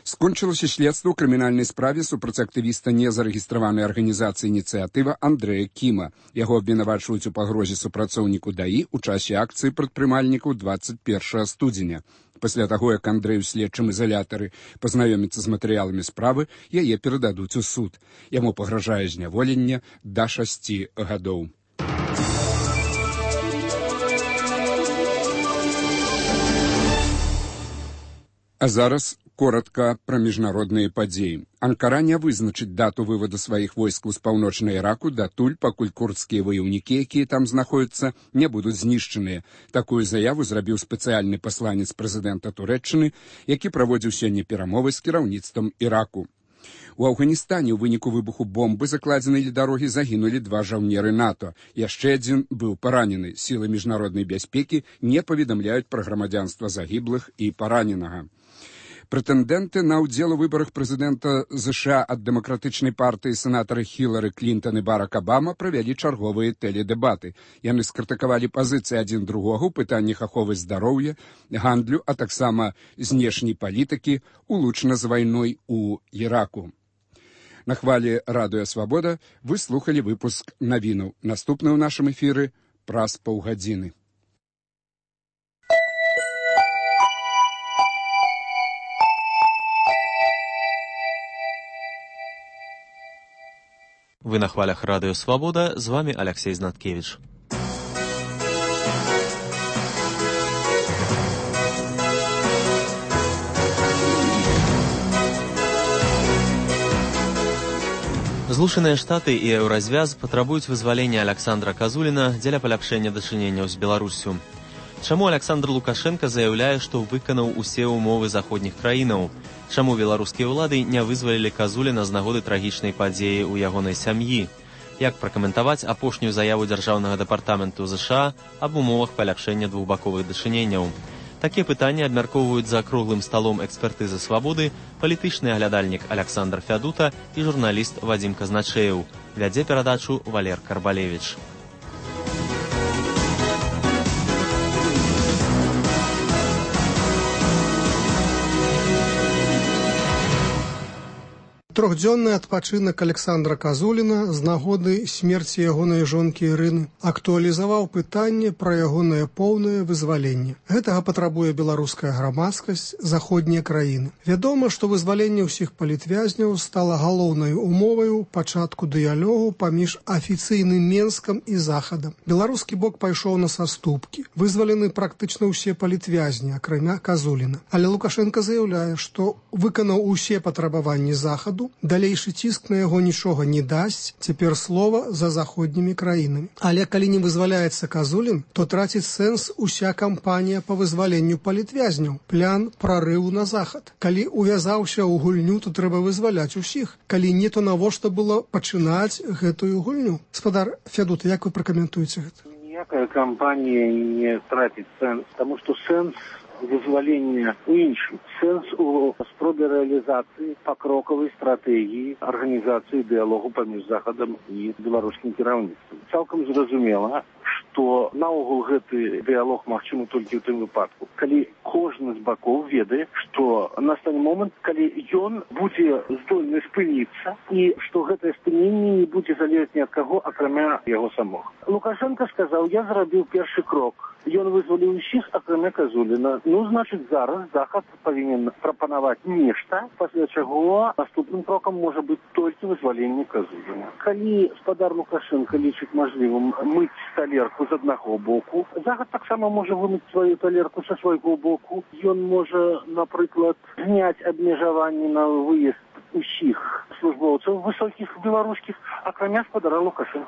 Скончылася следства ў крымінальнай справе супраць актывіста незарэгістраванай арганізацыі «Ініцыятыва» Андрэя Кіма. Яго абвінавачваюць у пагрозе супрацоўніку ДАІ у часе акцыі прадпрымальнікаў 21 студзеня. Пасля таго, як Андрэй у следчым ізалятары пазнаёміцца з матэрыяламі справы, яе перададуць у суд. Яму пагражае зняволенне да 6 гадоў. А зараз коротка пра міжнародныя падзеі. Анкара не вызначыць дату выводу сваіх войскаў з паўночнай Іраку датуль, пакуль курдскія ваяўнікі, якія там знаходзяцца, не будуць знішчаныя. Такую заяву зрабіў спецыяльны пасланец прэзідэнта Турэччыны, які праводзіў сёння перамовы з кіраўніцтвам Іраку. У Афганістане ў выніку выбуху бомбы, закладзенай ля дарогі, загінулі 2 жаўнеры НАТО. Яшчэ адзін быў паранены. Сілы міжнароднай бяспекі не паведамляюць пра грамадзянства загіблых і параненага. Прэтэндэнты на ўдзел у выбарах прэзідэнта ЗША ад дэмакратычнай партыі сенатары Хілары Клінтон і Барак Абама правялі чарговыя тэледэбаты. Яны скрытыкавалі пазіцыі адзін другога ў пытаннях аховы здароўя, гандлю, а таксама знешняй палітыкі, улучна з вайной у Іраку. На хвалі радыё «Свабода» вы слухалі выпуск навінаў. Наступны ў нашым эфіры праз паўгадзіны. Вы на хвалях радио «Свобода», с вами Алексей Знаткевич. Злучаныя Штаты і Еўразвяз патрабуюць вызвалення Александра Казуліна дзеля паляпшэння дачыненняў з Беларуссю. Чаму Александр Лукашенко заяўляе, што выканаў усе ўмовы заходніх краінаў? Чаму беларускія ўлады не вызвалілі Казуліна з нагоды трагічнай падзеі ў ягонай сям'і? Як пракаментаваць апошнюю заяву Дзяржаўнага дэпартаменту ЗША аб умовах паляпшэння двухбаковых дачыненняў? Такія пытанні абмяркоўваюць за круглым сталом экспертызы «Свабоды» палітычны аглядальнік Александр Фядута і журналіст Вадзім Казначэеў. Вядзе перадачу Валер Карбалевіч. Трохдзённы адпачынак Александра Казуліна з нагоды смерці ягонай жонкі Ірыны актуалізаваў пытанне пра ягонае поўнае вызваленне. Гэтага патрабуе беларуская грамадскасць, заходнія краіны. Вядома, што вызваленне ўсіх палітвязняў стала галоўнай умоваю пачатку дыялогу паміж афіцыйным Менскам і Захадам. Беларускі бок пайшоў на саступкі. Вызвалены практычна ўсе палітвязні, акрамя Казуліна. Але Лукашенко заяўляе, што выканаў усе патрабаванні Захаду, далейшы ціск на яго нічога не дасць, цяпер слова за заходнімі краінамі. Але калі не вызваляецца Казулін, то траціць сэнс уся кампанія па вызваленню палітвязняў, план прарыву на Захад. Калі увязаўся ў гульню, то трэба вызваляць усіх. Калі не, то навошта было пачынаць гэтую гульню? Спадар Фядут, як вы пракаментуеце гэта? Ніякая кампанія не траціць сэнс, таму што сэнс вызвалення у іншым. Сэнс у спробе рэалізацыі пакрокавай стратэгіі арганізацыі дыялогу паміж Захадам і беларускім кіраўніцтвам. Цалкам зразумела, што наогул гэты дыялог магчымы толькі ў тым выпадку, калі кожны з бакоў ведае, што настане момант, калі ён будзе здольны спыніцца і што гэтае спыненне не будзе залежаць ні ад каго, акрамя яго самога. Лукашенко сказаў, я зрабіў першы крок. Ён вызваліў усіх, акрамя Казуліна. Ну, значыць, зараз Захад павінен прапанаваць нешта, пасля чаго наступным крокам можа быць толькі вызваленне Казуліна. Калі спадар Лукашенко лічыць мажлівым мыць талерку з аднаго боку, Захад таксама можа вымыць сваю талерку са свайго боку. Ён можа, напрыклад, зняць абмежаванні на выезд усіх службоўцаў высокіх беларускіх, акрамя спадара Лукашенко.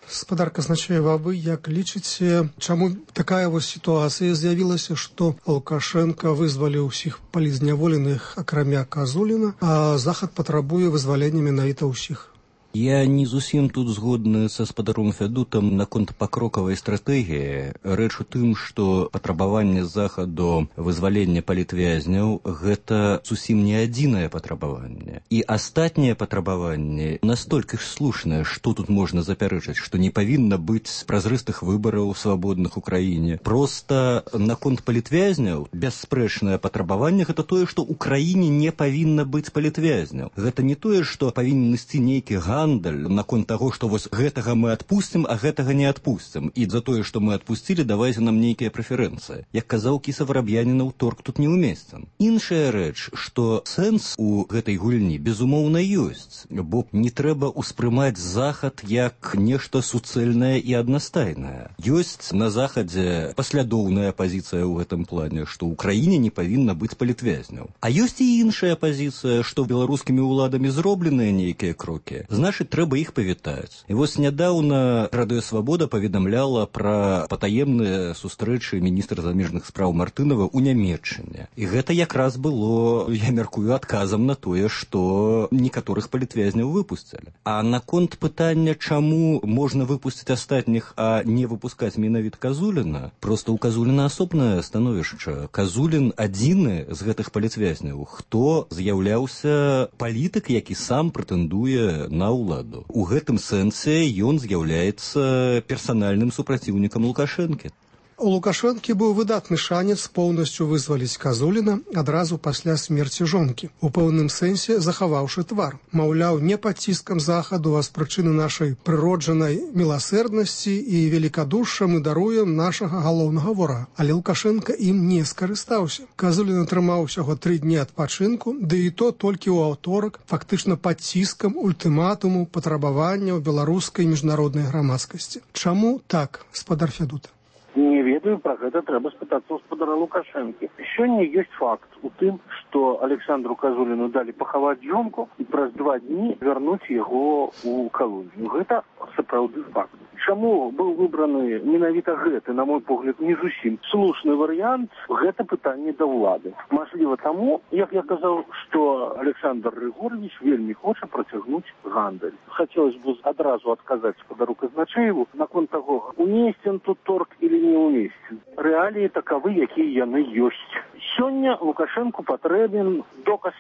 Спадар Казначеева, вы як лічыце, чаму такая вось сітуацыя з'явілася, што Лукашенко вызваліў усіх палізняволеных, акрамя Казуліна, а Захад патрабуе вызвалення менавіта ўсіх? Я не зусім тут згодны са спадаром Фядутам наконт пакрокавай стратэгіі. Рэч у тым, што патрабаванне Захаду вызвалення палітвязняў гэта зусім не адзінае патрабаванне. І астатнія патрабаванні настолькі ж слушныя, што тут можна запярэчыць, што не павінна быць празрыстых выбараў свабодных у краіне. Проста наконт палітвязняў бясспрэчнае патрабаванне гэта тое, што ў краіне не павінна быць палітвязняў. Гэта не тое, што павінен ісці нейкі наконт таго, што вось гэтага мы адпусцім, а гэтага не адпусцім. І за тое, што мы адпусцілі, давайце нам нейкія прэферэнцыі. Як казаў Кіса Вараб'янінаў, торг тут не ўмесцен. Іншая рэч, што сэнс у гэтай гульні безумоўна ёсць, бо не трэба ўспрымаць Захад як нешта суцэльнае і аднастайнае. Ёсць на Захадзе паслядоўная пазіцыя ў гэтым плане, што ў краіне не павінна быць палітвязняў. А ёсць і іншая пазіцыя, што беларускімі ўладамі зробленыя нейкія крокі. Значыць, трэба іх павітаць. І вось нядаўна Радыё Свабода паведамляла пра патаемныя сустрэчы міністра замежных спраў Мартынова ў Нямецчыне. І гэта якраз было, я мяркую, адказам на тое, што некаторых палітвязняў выпусцілі. А наконт пытання, чаму можна выпусціць астатніх, а не выпускаць менавіта Казуліна, проста ў Казуліна асобнае становішча. Казулін адзіны з гэтых палітвязняў, хто з'яўляўся палітык, які сам прэтэндуе на ўладу. У гэтым сэнсе ён з'яўляецца персанальным супраціўнікам Лукашэнкі. У Лукашэнкі быў выдатны шанец поўнасцю вызваліць Казуліна адразу пасля смерці жонкі, у пэўным сэнсе захаваўшы твар. Маўляў, не пад ціскам Захаду, а з прычыны нашай прыроджанай міласэрнасці і велікадушша мы даруем нашага галоўнага ворага. Але Лукашенка ім не скарыстаўся. Казулін атрымаў усяго 3 дні адпачынку, ды і то толькі ў аўторак, фактычна пад ціскам ультыматуму патрабаванняў беларускай міжнароднай грамадскасці. Чаму так, спадар Фядута? Не ведаю, пра гэта трэба спытацца ў спадара Лукашэнкі. Сёння ёсць факт у тым, што Александру Казуліну далі пахаваць жонку і праз 2 дні вярнуць яго ў калонію. Гэта сапраўды факт. Чаму быў выбраны менавіта гэты, на мой погляд, не зусім слушны варыянт, гэта пытанне да ўлады. Мажліва таму, як я казаў, што Александр Григорьевич вельмі хоча працягнуць гандаль. Хацелось бы адразу адказаць спадару Казначееву наконт таго, умесцен тут торг или не умесцен. Рэаліі такавы, якія яны ёсць. Сёння Лукашэнку патрэбен доказ,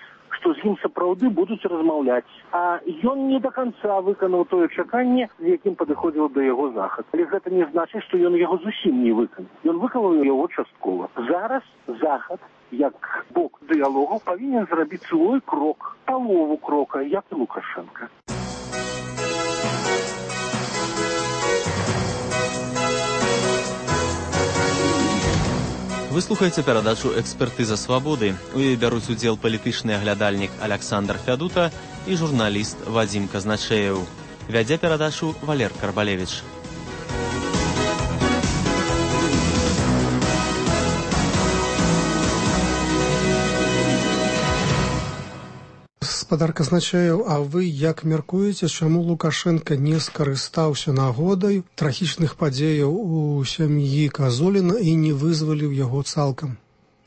што з ім сапраўды будуць размаўляць. А ён не до канца выканаў тое чаканне, з якім падыходзіў да яго захад. Але гэта не значыць, што ён яго зусім не выканаў. Ён выканаў яго часткова. Зараз захад, як бок дыялогу, павінен зрабіць свой крок, палову крока, як і Лукашенко. Вы слухаеце перадачу «Экспертыза свабоды». У ёй бяруць удзел палітычны аглядальнік Александр Фядута і журналіст Вадзім Казначеев. Вядзе перадачу Валер Карбалевич. Гаспадар Казначеев, а вы як мяркуеце, чаму Лукашенко не скарыстаўся нагодай трагічных падзеяў у сям'і Казуліна і не вызваліў яго цалкам?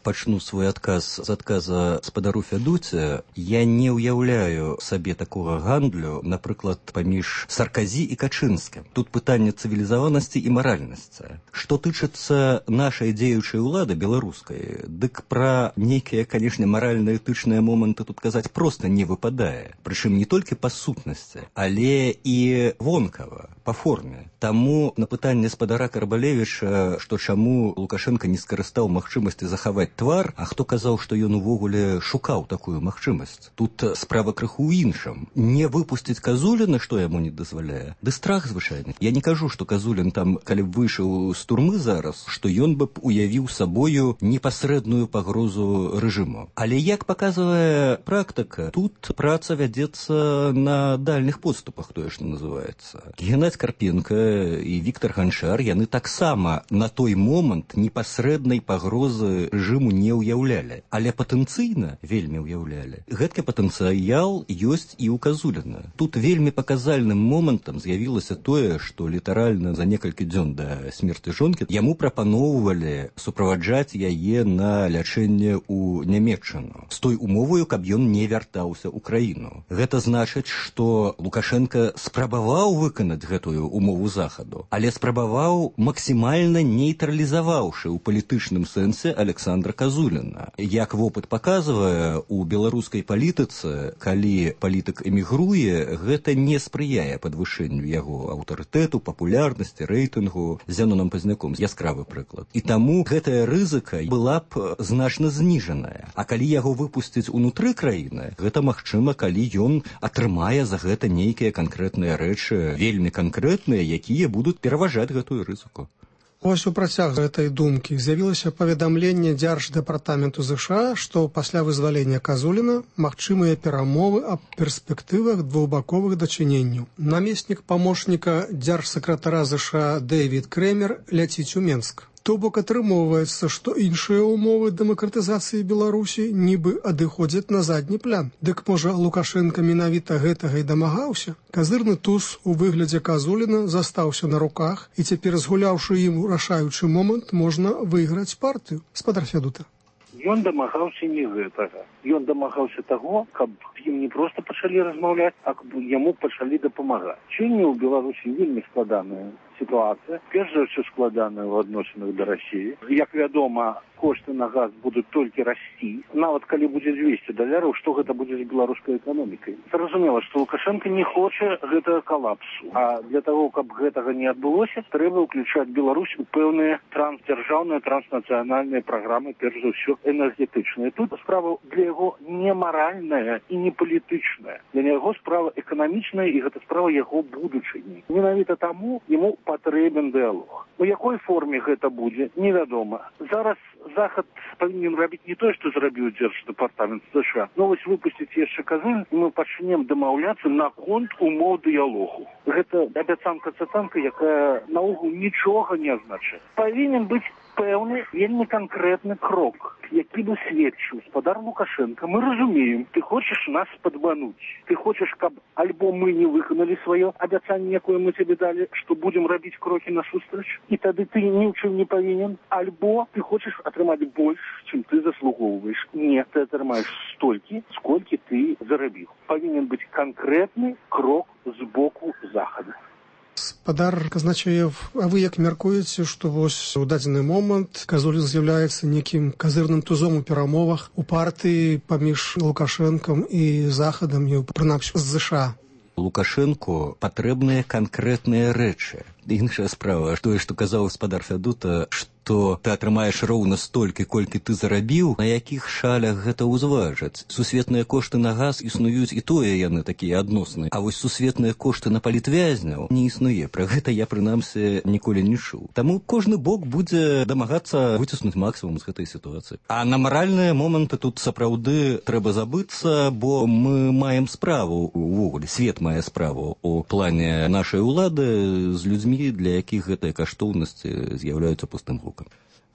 Пачну свой адказ з адказа спадару Фядуце. Я не ўяўляю сабе такога гандлю, напрыклад, паміж Сарказі і Качынскім. Тут пытанне цывілізаванасці і маральнасці. Што тычыцца нашай дзеючай улады беларускай, дык пра нейкія, канешне, маральна-этычныя моманты тут казаць проста не выпадае. Прычым не толькі па сутнасці, але і вонкава, па форме. Таму на пытанне спадара Карбалевіча, што чаму Лукашенко не скарыстаў магчымасці захаваць твар, а хто казаў, што ён увогуле шукаў такую магчымасць. Тут справа крыху ў іншым. Не выпусціць Казуліна, што яму не дазваляе? Ды страх звычайны. Я не кажу, што Казулін там, калі б выйшаў з турмы зараз, што ён бы б уявіў сабою непасрэдную пагрозу рэжыму. Але як паказвае практыка, тут праца вядзецца на дальніх подступах, тое, што называецца. Геннадзь Карпенка і Віктор Ганчар, яны таксама на той момант непасрэднай пагрозы рэжыму не ўяўлялі, але патэнцыйна вельмі ўяўлялі. Гэткі патэнцыял ёсць і ў Казуліна. Тут вельмі паказальным момантам з'явілася тое, што літаральна за некалькі дзён да смерці жонкі яму прапаноўвалі суправаджаць яе на лячэнне ў Нямецчыну з той умоваю, каб ён не вяртаўся ў краіну. Гэта значыць, што Лукашенко спрабаваў выканаць гэтую умову захаду, але спрабаваў максімальна нейтралізаваўшы ў палітычным сэнсе Александра Казуліна. Як вопыт паказвае, у беларускай палітыцы, калі палітык эмігруе, гэта не спрыяе падвышэнню яго аўтарытэту, папулярнасці, рэйтынгу. З Зянонам Пазняком яскравы прыклад. І таму гэтая рызыка была б значна зніжаная. А калі яго выпусціць унутры краіны, гэта магчыма, калі ён атрымае за гэта нейкія канкрэтныя рэчы, вельмі канкрэтныя, якія будуць пераважаць гэтую рызыку. Ось у працяг гэтай думкі з'явілася паведамленне Дзярждэпартаменту ЗША, што пасля вызвалення Казуліна магчымыя перамовы аб перспектывах двухбаковых дачыненняў. Намеснік памочніка дзяржсакратара ЗША Дэвід Крэмер ляціць у Менск. То бок атрымоўваецца, што іншыя ўмовы дэмакратызацыі Беларусі нібы адыходзяць на задні план. Дык можа Лукашенко менавіта гэтага і дамагаўся? Казырны туз у выглядзе Казуліна застаўся на руках, і цяпер, згуляўшы ім рашаючы момант, можна выйграць партыю. Спадар Фядута. Ён дамагаўся не гэтага. Ён дамагаўся таго, каб ім не проста пачалі размаўляць, а каб яму пачалі дапамагаць. Сёння ў Беларусі вельмі складаная сітуацыя. Перш за ўсё складаная ў адносінах да Расіі. Як вядома, кошты на газ будуць толькі расці. Нават калі будзе $200, што гэта будзе з беларускай эканомікай? Зразумела, што Лукашенко не хоча гэтага калапсу. А для таго, каб гэтага не адбылося, трэба ўключаць Беларусь у пэўныя трансдзяржаўныя, транснацыянальныя праграмы, перш за ўсё энергетычныя. Тут справа для яго не маральная і не палітычная. Для яго справа эканамічная, і гэта справа яго будучыні. Менавіта таму яму патрэбен дыялог. У якой форме гэта будзе, невядома. Зараз Захад павінен рабіць не тое, што зрабіў Дзярждэпартамент США, но вось выпусціць яшчэ Казулін, і мы пачнем дамаўляцца наконт умоў дыялогу. Гэта абяцанка-цацанка, якая наогул нічога не азначае. Павінен быць пэўны, вельмі канкрэтны крок, які бы сведчыў спадар Лукашенко. Мы разумеем, ты хочаш нас падмануць. Ты хочаш, каб альбо мы не выканалі сваё абяцанне, якое мы тебе далі, што будзем рабіць крокі насустрач, і тады ты ні ў чым не павінен, альбо ты хочаш атрымаць больш, чым ты заслугоўваеш. Не, ты атрымаеш столькі, сколькі ты зарабіў. Павінен быць канкрэтны крок з боку Захада. Гаспадар Казначеев, а вы як мяркуеце, што вось у дадзены момант Казулін з'яўляецца некім казырным тузом у перамовах у партыі паміж Лукашэнкам і Захадам, і прынамсі з ЗША? Лукашэнку патрэбныя канкрэтныя рэчы. Іншая справа, тое, што казаў гаспадар Фядута, што ты атрымаеш роўна столькі, колькі ты зарабіў, на якіх шалях гэта ўзважаць. Сусветныя кошты на газ існуюць, і тое яны такія адносныя. А вось сусветныя кошты на палітвязняў не існуе. Пра гэта я, прынамсі, ніколі не чуў. Таму кожны бок будзе дамагацца выціснуць максімум з гэтай сітуацыі. А на маральныя моманты тут сапраўды трэба забыцца, бо мы маем справу, увогуле, свет мае справу у плане нашай улады з людзьмі, для якіх гэтыя каштоўнасці з'яўляюцца пустым гукам.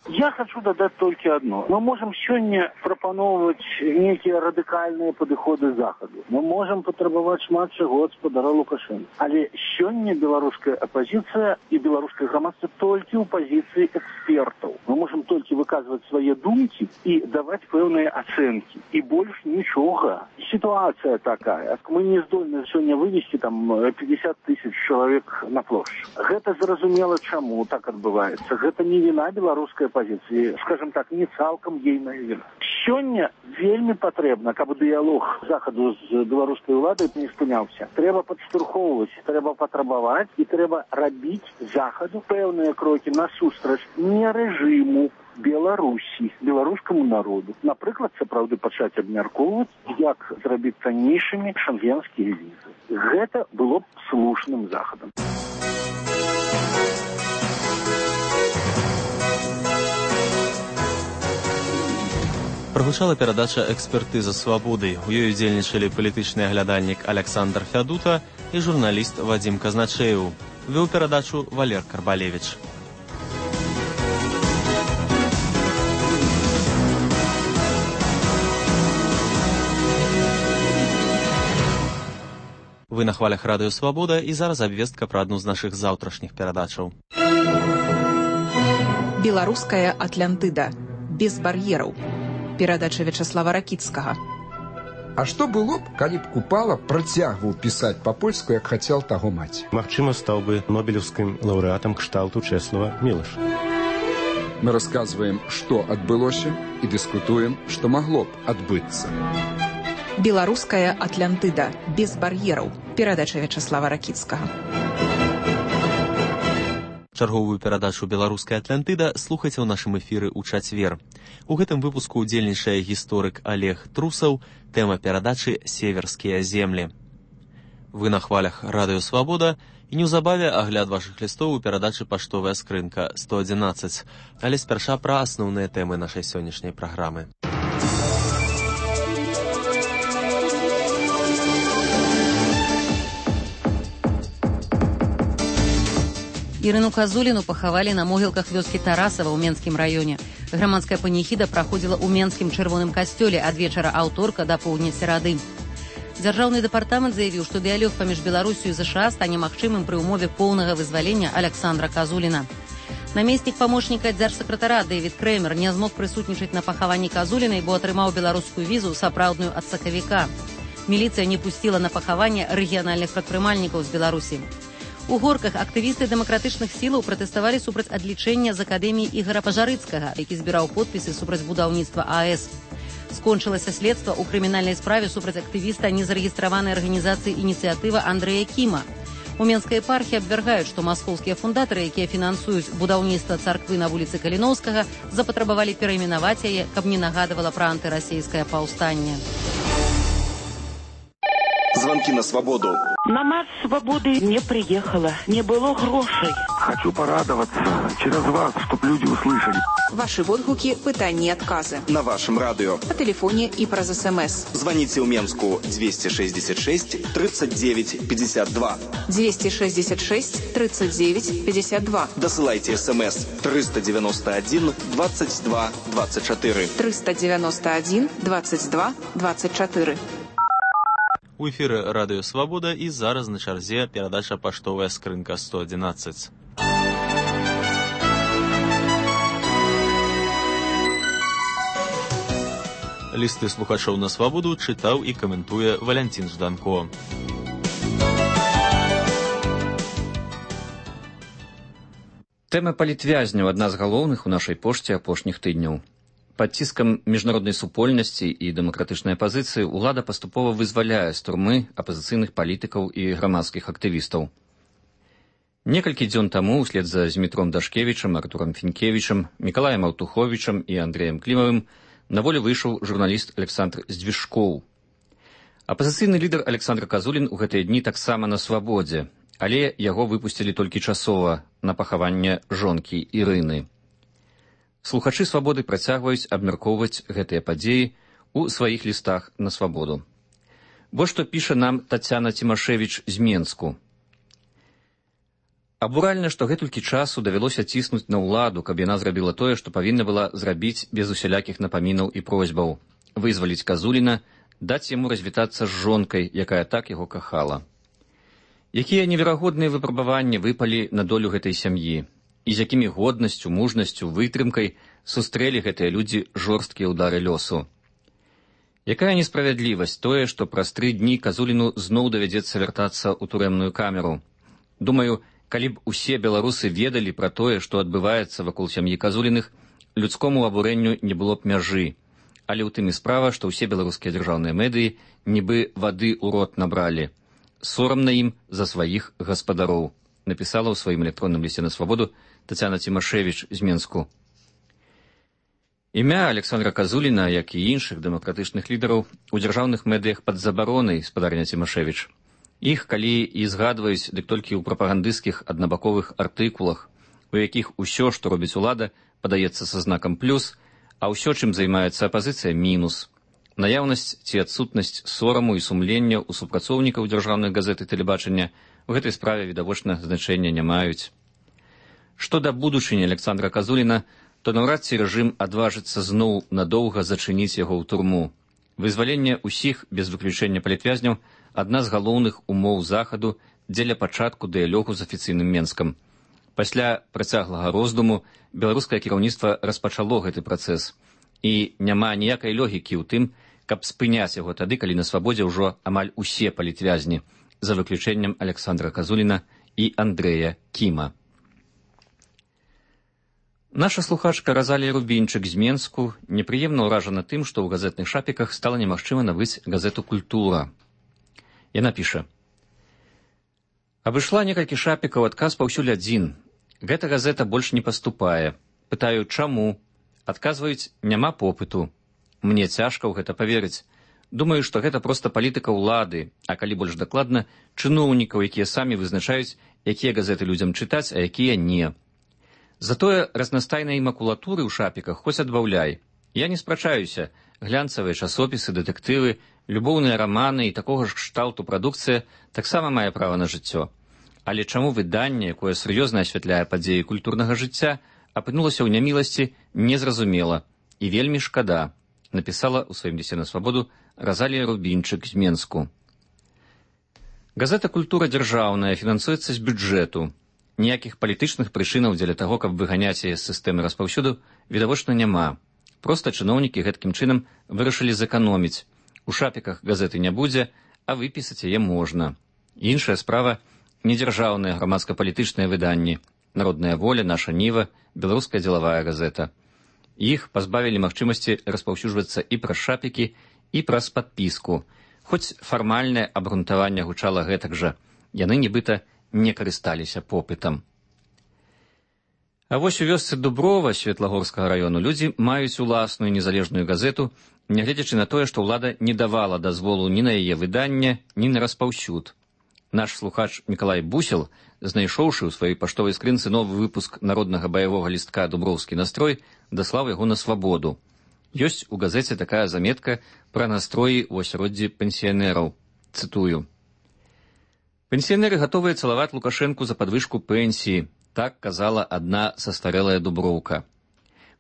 Я хочу дадать только одно. Мы можем сегодня пропановывать некие радикальные подходы Заходу. Мы можем потребовать шмат чего от спадара Лукашенко. Але сегодня белорусская оппозиция и белорусское громадство только у позиции экспертов. Мы можем только выказывать свои думки и давать певные оценки. И больше ничего. Ситуация такая. Мы не здольны сегодня вывести там 50 тысяч человек на площадь. Это зразумело, чему так отбывается. Это не вина белорусской позиции, скажем так, не цалкам ейная вина. Сёння вельмі патрэбна, каб дыялог Захаду з беларускай уладай не спынялся. Трэба падштурхоўваць, трэба патрабаваць і трэба рабіць Захаду пэўныя крокі насустрач не рэжыму Беларусі, беларускаму народу. Напрыклад, сапраўды пачаць абмяркоўваць, як зрабіць таннейшымі шенгенскія візы. Гэта было б слушным Захадам. Прагучала перадача «Экспертыза свабоды». У ёй удзельнічалі палітычны аглядальнік Александр Фядута і журналіст Вадзім Казначеў. Вёў перадачу Валер Карбалевіч. Вы на хвалях радыё «Свабода» і зараз абвестка пра адну з нашых заўтрашніх перадачаў. Беларуская Атлантыда. Без бар'ераў. Перадача Вячаслава Ракіцкага. А што было б, калі б Купала працягваў пісаць па-польску, як хацеў таго маці? Магчыма, стаў бы нобелеўскім лаўрэатам кшталту Чэслава Мілаша. Мы расказваем, што адбылося, і дыскутуем, што магло б адбыцца. Беларуская Атлантыда. Без бар'ераў. Перадача Вячаслава Ракіцкага. Чарговую перадачу «Беларуская Атлантыда» слухайце ў нашым эфіры ў чацвер. У гэтым выпуску удзельнічае гісторык Олег Трусаў, тэма перадачы «Северскія землі». Вы на хвалях радыё «Свабода» і неўзабаве агляд вашых лістоў у перадачы «Паштовая скрынка 111». Але спярша пра асноўныя тэмы нашай сённяшняй праграмы. Ірыну Казуліну пахавалі на могілках вёскі Тарасава ў Менскім раёне. Грамадская паніхіда праходзіла ў Менскім чырвоным касцёле ад вечара аўторка да поўдня серады. Дзяржаўны дэпартамент заявіў, што дыялог паміж Беларусю і ЗША стане магчымым пры ўмове поўнага вызвалення Александра Казуліна. Намеснік памочніка дзяржсакратара Дэвід Крэмер не змог прысутнічаць на пахаванні Казулінай, бо атрымаў беларускую візу сапраўдную ад сакавіка. Міліцыя не пусціла на пахаванне рэгіянальных прадпрымальнікаў з Беларусі. У Горках актывісты дэмакратычных сілаў пратэставалі супраць адлічэння з акадэміі Ігара Пажарыцкага, які збіраў подпісы супраць будаўніцтва АЭС. Скончылася следства ў крымінальнай справе супраць актывіста незарэгістраванай арганізацыі «Ініцыятыва» Андрэя Кіма. У Менскай епархіі абвяргаюць, што маскоўскія фундатары, якія фінансуюць будаўніцтва царквы на вуліцы Каліноўскага, запатрабавалі перайменаваць яе, каб не нагадывала пра антырасійскае паўстанне. Звонки на свободу. На марш свободы не приехала, не было грошей. Хочу порадоваться через вас, чтобы люди услышали. Ваши водгуки, пытания и отказы. На вашем радио. По телефоне и праз СМС. Звоните у Менску 266 39 52. 266 39 52. Досылайте СМС 391 22 24. 391 22 24. У эфіры радыё «Свабода» і зараз на чарзе перадача «Паштовая скрынка 111». Лісты слухачоў на «Свабоду» чытаў і каментуе Валянцін Жданко. Тэма палітвязняў адна з галоўных у нашай пошце апошніх тыдняў. Пад ціскам міжнароднай супольнасці і дэмакратычнай апазіцыі ўлада паступова вызваляе з турмы апазіцыйных палітыкаў і грамадскіх актывістаў. Некалькі дзён таму, услед за Змітром Дашкевічам, Артурам Фінкевічам, Мікалаем Аўтуховічам і Андрэем Клімавым на волю выйшаў журналіст Александр Здвижкоў. Апазіцыйны лідар Александр Казулін у гэтыя дні таксама на свабодзе, але яго выпусцілі толькі часова на пахаванне жонкі Ірыны. Слухачы свабоды працягваюць абмяркоўваць гэтыя падзеі ў сваіх лістах на свабоду. Вось што піша нам Тацяна Цімашевіч з Менску. Абуральна, што гэтулькі часу давялося ціснуць на ўладу, каб яна зрабіла тое, што павінна была зрабіць без усялякіх напамінаў і просьбаў. Вызваліць Казуліна, даць яму развітацца з жонкай, якая так яго кахала. Якія неверагодныя выпрабаванні выпалі на долю гэтай сям'і, і з якімі годнасцю, мужнасцю, вытрымкай сустрэлі гэтыя людзі жорсткія ўдары лёсу. Якая несправядлівасць тое, што праз 3 дні Казуліну зноў давядзецца вяртацца ў турэмную камеру. Думаю, калі б усе беларусы ведалі пра тое, што адбываецца вакол сям'і Казуліных, людскому абурэнню не было б мяжы. Але ў тым і справа, што ўсе беларускія дзяржаўныя медыі нібы вады ў рот набралі. Сорамна ім за сваіх гаспадароў, напісала ў сваім электронным лісце на свабоду Тацяна Цімашевіч з Менску. Імя Александра Казуліна, як і іншых дэмакратычных лідараў, у дзяржаўных медыях пад забаронай, спадарня Цімашевіч. Іх, калі і згадваюць, дык толькі ў прапагандысцкіх аднабаковых артыкулах, у якіх усё, што робіць улада, падаецца са знакам плюс, а ўсё, чым займаецца апазіцыя, мінус. Наяўнасць ці адсутнасць сораму і сумлення ў супрацоўнікаў дзяржаўных газет і тэлебачання у гэтай справе відавочна значэння не маюць. Што да будучыні Александра Казуліна, то наўрад ці рэжым адважыцца зноў надоўга зачыніць яго ў турму. Вызваленне ўсіх, без выключэння палітвязняў, адна з галоўных умоў захаду дзеля пачатку дыялогу з афіцыйным Менскам. Пасля працяглага роздуму беларускае кіраўніцтва распачало гэты працэс. І няма ніякай логікі ў тым, каб спыняць яго тады, калі на свабодзе ўжо амаль усе палітвязні, за выключэннем Александра Казуліна і Андрэя Кіма. Наша слухачка Разалія Рубінчык з Менску непрыемна ўражана тым, што ў газетных шапіках стала немагчыма набыць газету «Культура». Яна піша. Абышла некалькі шапікаў, адказ паўсюль адзін. Гэта газета больш не паступае. Пытаю, чаму? Адказваюць, няма попыту. Мне цяжка ў гэта паверыць. Думаю, што гэта проста палітыка ўлады, а калі больш дакладна, чыноўнікаў, якія самі вызначаюць, якія газеты людзям чытаць, а якія не. Затое разнастайнай макулатуры ў шапіках хоць адбаўляй. Я не спрачаюся. Глянцавыя часопісы, дэтэктывы, любоўныя раманы і такога ж кшталту прадукцыя таксама мае права на жыццё. Але чаму выданне, якое сур'ёзна асвятляе падзеі культурнага жыцця, апынулася ў няміласці, незразумела і вельмі шкада, напісала ў сваім лісце на свабоду Разалія Рубінчык з Менску. Газета «Культура» дзяржаўная, фінансуецца з бюджэту. Ніякіх палітычных прычынаў дзеля таго, каб выганяць яе з сістэмы распаўсюду, відавочна няма. Проста чыноўнікі гэткім чынам вырашылі зэканоміць. У шапіках газеты не будзе, а выпісаць яе можна. Іншая справа – недзяржаўныя грамадска-палітычныя выданні. Народная воля, наша Ніва, беларуская дзелавая газета. Іх пазбавілі магчымасці распаўсюджвацца і праз шапікі, і праз падпіску. Хоць фармальнае абгрунтаванне гучала гэтак жа. Яны нібыта не карысталіся попытам. А вось у вёсцы Дуброва Светлагорскага раёну людзі маюць уласную незалежную газету, нягледзячы на тое, што ўлада не давала дазволу ні на яе выданне, ні на распаўсюд. Наш слухач Мікалай Бусел, знайшоўшы ў сваёй паштовай скрынцы новы выпуск народнага баявога лістка «Дуброўскі настрой», даслаў яго на свабоду. Ёсць у газеце такая заметка пра настроі ў асяроддзі пенсіянераў. Цытую. «Пенсіянеры гатовыя цалаваць Лукашэнку за падвышку пенсіі», так казала адна састарэлая дуброўка.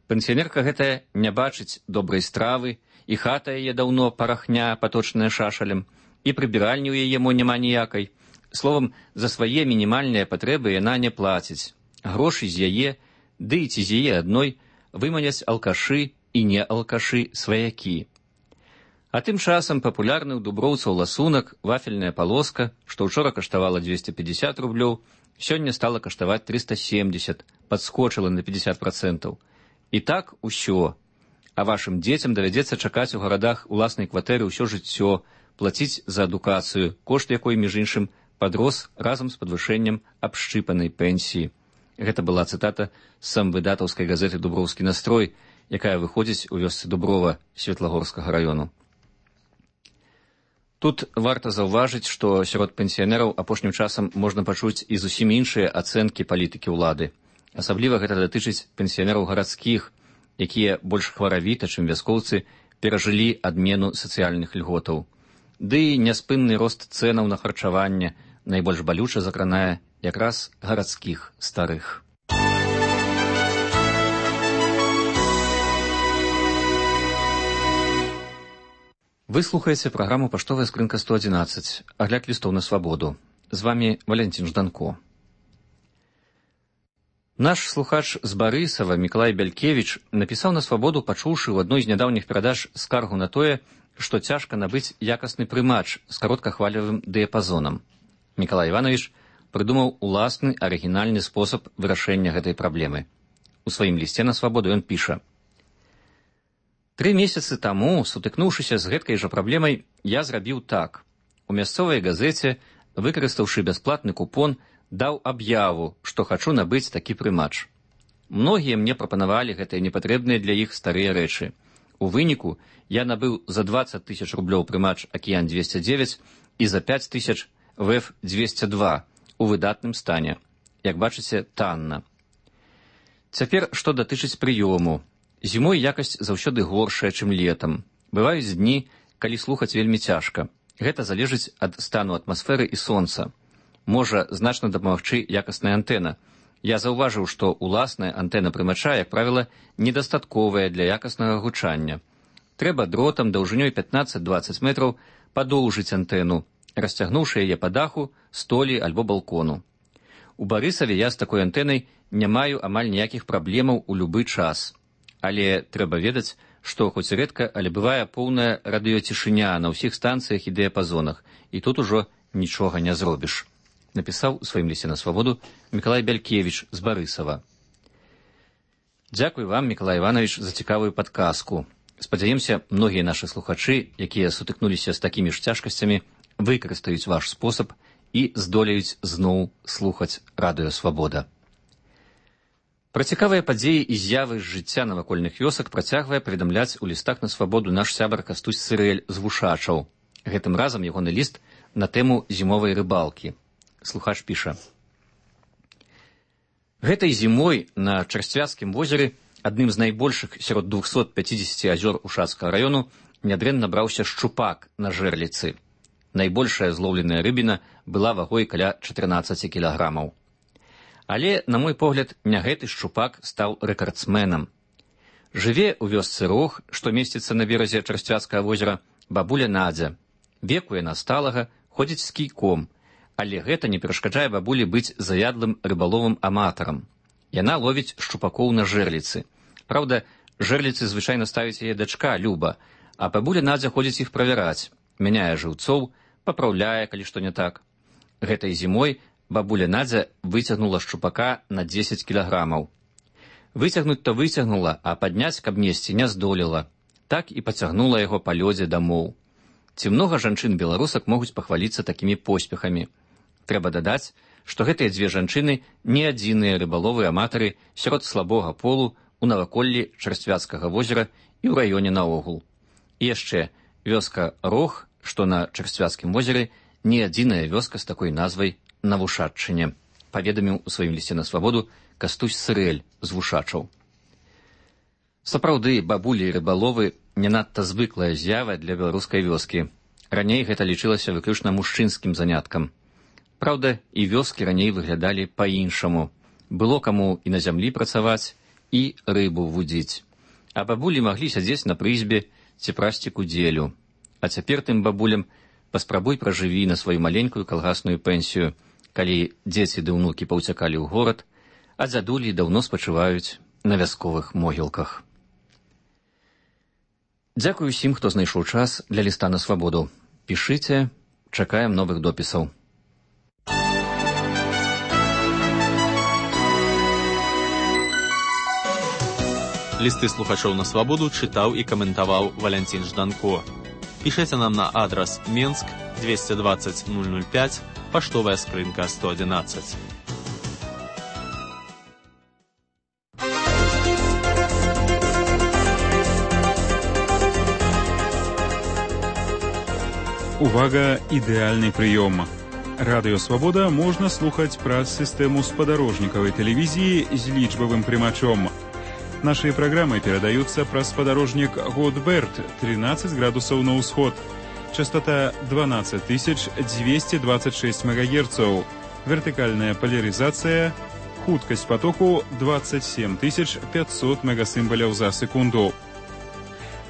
Пенсіянерка гэтая не бачыць добрай стравы, і хата яе даўно парахня, паточная шашалем, і прыбіральні ў яе мо няма ніякай. Словам, за свае мінімальныя патрэбы яна не плаціць. Грошы з яе, ды і ці з яе адной, выманяць алкашы і не алкашы сваякі. А тым часам папулярны ў дуброўцаў ласунак, вафельная палоска, што ўчора каштавала 250 рублёў, сёння стала каштаваць 370, падскочыла на 50%. І так усё. А вашым дзецям давядзецца чакаць у гарадах уласнай кватэры ўсё жыццё, плаціць за адукацыю, кошт якой, між іншым, падрос разам з падвышэннем абшчыпанай пенсіі. Гэта была цытата з самвыдатаўскай газеты «Дуброўскі настрой», якая выходзіць у вёсцы Дуброва Светлагорскага раёну. Тут варта заўважыць, што сярод пенсіянераў апошнім часам можна пачуць і зусім іншыя ацэнкі палітыкі ўлады. Асабліва гэта датычыць пенсіянераў гарадскіх, якія больш хваравіта, чым вяскоўцы, перажылі адмену сацыяльных льготаў. Ды і няспынны рост цэнаў на харчаванне найбольш балюча закранае якраз гарадскіх старых. Вы слухаеце праграму «Паштовая скрынка 111», агляд лістоў на свабоду. З вамі Валентин Жданко. Наш слухач з Барысава Мікалай Бялькевіч напісаў на свабоду, пачуўшы ў адной з нядаўніх перадач скаргу на тое, што цяжка набыць якасны прымач з кароткахвалевым дыяпазонам. Мікалай Іванович прыдумаў уласны арыгінальны спосаб вырашэння гэтай праблемы. У сваім лісце на свабоду ён піша: 3 месяцы таму, сутыкнуўшыся з гэткай жа праблемай, я зрабіў так. У мясцовай газеце, выкарыстаўшы бясплатны купон, даў аб'яву, што хачу набыць такі прымач. Многія мне прапанавалі гэтыя непатрэбныя для іх старыя рэчы. У выніку я набыў за 20 000 рублёў прымач «Акіян-209» і за 5 000 «ВЭФ-202» у выдатным стане. Як бачыце, танна. Цяпер, што датычыць прыёму. Зімой якасць заўсёды горшая, чым летам. Бываюць дні, калі слухаць вельмі цяжка. Гэта залежыць ад стану атмасферы і сонца. Можа значна дапамагчы якасная антэна. Я заўважыў, што уласная антэна прымача, як правіла, недастатковая для якаснага гучання. Трэба дротам даўжынёй 15-20 метраў падоўжыць антэну, расцягнуўшы яе па даху, столі альбо балкону. У Барысаве я з такой antэнай не маю амаль ніякіх праблемаў у любы час. Але трэба ведаць, што хоць рэдка, але бывае поўная радыёцішыня на ўсіх станцыях і дыяпазонах, і тут ужо нічога не зробіш. Напісаў у сваім лісце на свабоду Мікалай Бялькевіч з Барысава. Дзякуй вам, Мікалай Іванович, за цікавую падказку. Спадзяемся, многія нашы слухачы, якія сутыкнуліся з такімі ж цяжкасцямі, выкарыстаюць ваш спосаб і здолеюць зноў слухаць радыё «Свабода». Пра цікавыя падзеі і з'явы з жыцця навакольных вёсак працягвае паведамляць у лістах на свабоду наш сябар Кастусь Сырэль з Вушачаў. Гэтым разам ягоны ліст на тэму зімовай рыбалкі. Слухач піша: Гэтай зімой на Чарсцвяцкім возеры, адным з найбольшых сярод 250 азёр Ушацкага раёну, нядрэнна браўся шчупак на жэрліцы. Найбольшая злоўленая рыбіна была вагой каля 14 кілаграмаў. Але, на мой погляд, не гэты шчупак стаў рэкардсменам. Жыве ў вёсцы Рог, што месціцца на беразе Чарсцвяцкага возера, бабуля Надзя. Веку яна сталага, ходзіць з кійком, але гэта не перашкаджае бабулі быць заядлым рыбаловым аматарам. Яна ловіць шчупакоў на жэрліцы. Праўда, жэрліцы звычайна ставіць яе дачка Люба, а бабуля Надзя ходзіць іх правяраць, мяняе жыўцоў, папраўляе, калі што не так. Гэтай зімой бабуля Надзя выцягнула шчупака на 10 кілаграмаў. Выцягнуць-то выцягнула, а падняць, каб несці, не здолела. Так і пацягнула яго па лёдзе дамоў. Ці многа жанчын-беларусак могуць пахваліцца такімі поспехамі. Трэба дадаць, што гэтыя дзве жанчыны не адзіныя рыбаловыя аматары сярод слабога полу у наваколлі Чарсцвяцкага возера і ў раёне наогул. І яшчэ, вёска Рог, што на Чарсцвяцкім возеры, не адзіная вёска з такой назвай на Вушаччыне, паведаміў у сваім лісце на свабоду Кастусь Сырэль з Вушачаў. Сапраўды, бабулі і рыбаловы не надта звыклая з'ява для беларускай вёскі. Раней гэта лічылася выключна мужчынскім заняткам. Праўда, і вёскі раней выглядалі па-іншаму. Было каму і на зямлі працаваць, і рыбу вудзіць. А бабулі маглі сядзець на прызбе ці прасці кудзелю. А цяпер тым бабулям паспрабуй пражыві на сваю маленькую калгасную пенсію, калі дзеці ды ўнукі паўцякалі ў горад, а дзядулі даўно спачываюць на вясковых могілках. Дзякуй усім, хто знайшоў час для ліста на свабоду. Пішыце, чакаем новых допісаў. Листы слухачоў на свабоду чытаў і каментаваў Валянцін Жданко. Пішыце нам на адрас Менск 220 005, паштовая скрынка 111. Увага, ідэальны прыём. Радыё Свабода можна слухаць праз сістэму спадарожнікавай тэлевізіі з лічбавым прымачом. Нашыя праграмы перадаюцца праз спадарожнік Годберт 13 градусаў на ўсход. Частота 12226 МГц. Вертыкальная поляризация. Хуткасць потоку 27500 мегасімбаляў за секунду.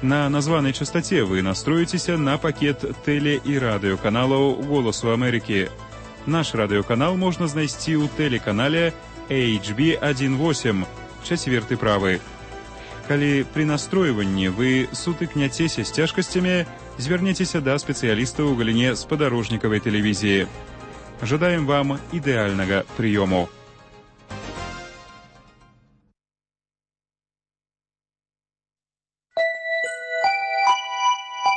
На названай частоце вы настроіцеся на пакет тэле- і радыёканалаў «Голасу Амерыкі». Наш радыёканал можна знайсці ў тэлеканале HB18, 4 правы. Калі пры настройванні вы сутыкняцеся з цяжкасцямі, звярніцеся да спецыялістаў у галіне спадарожнікавай тэлевізіі. Жадаем вам ідэальнага прыёму.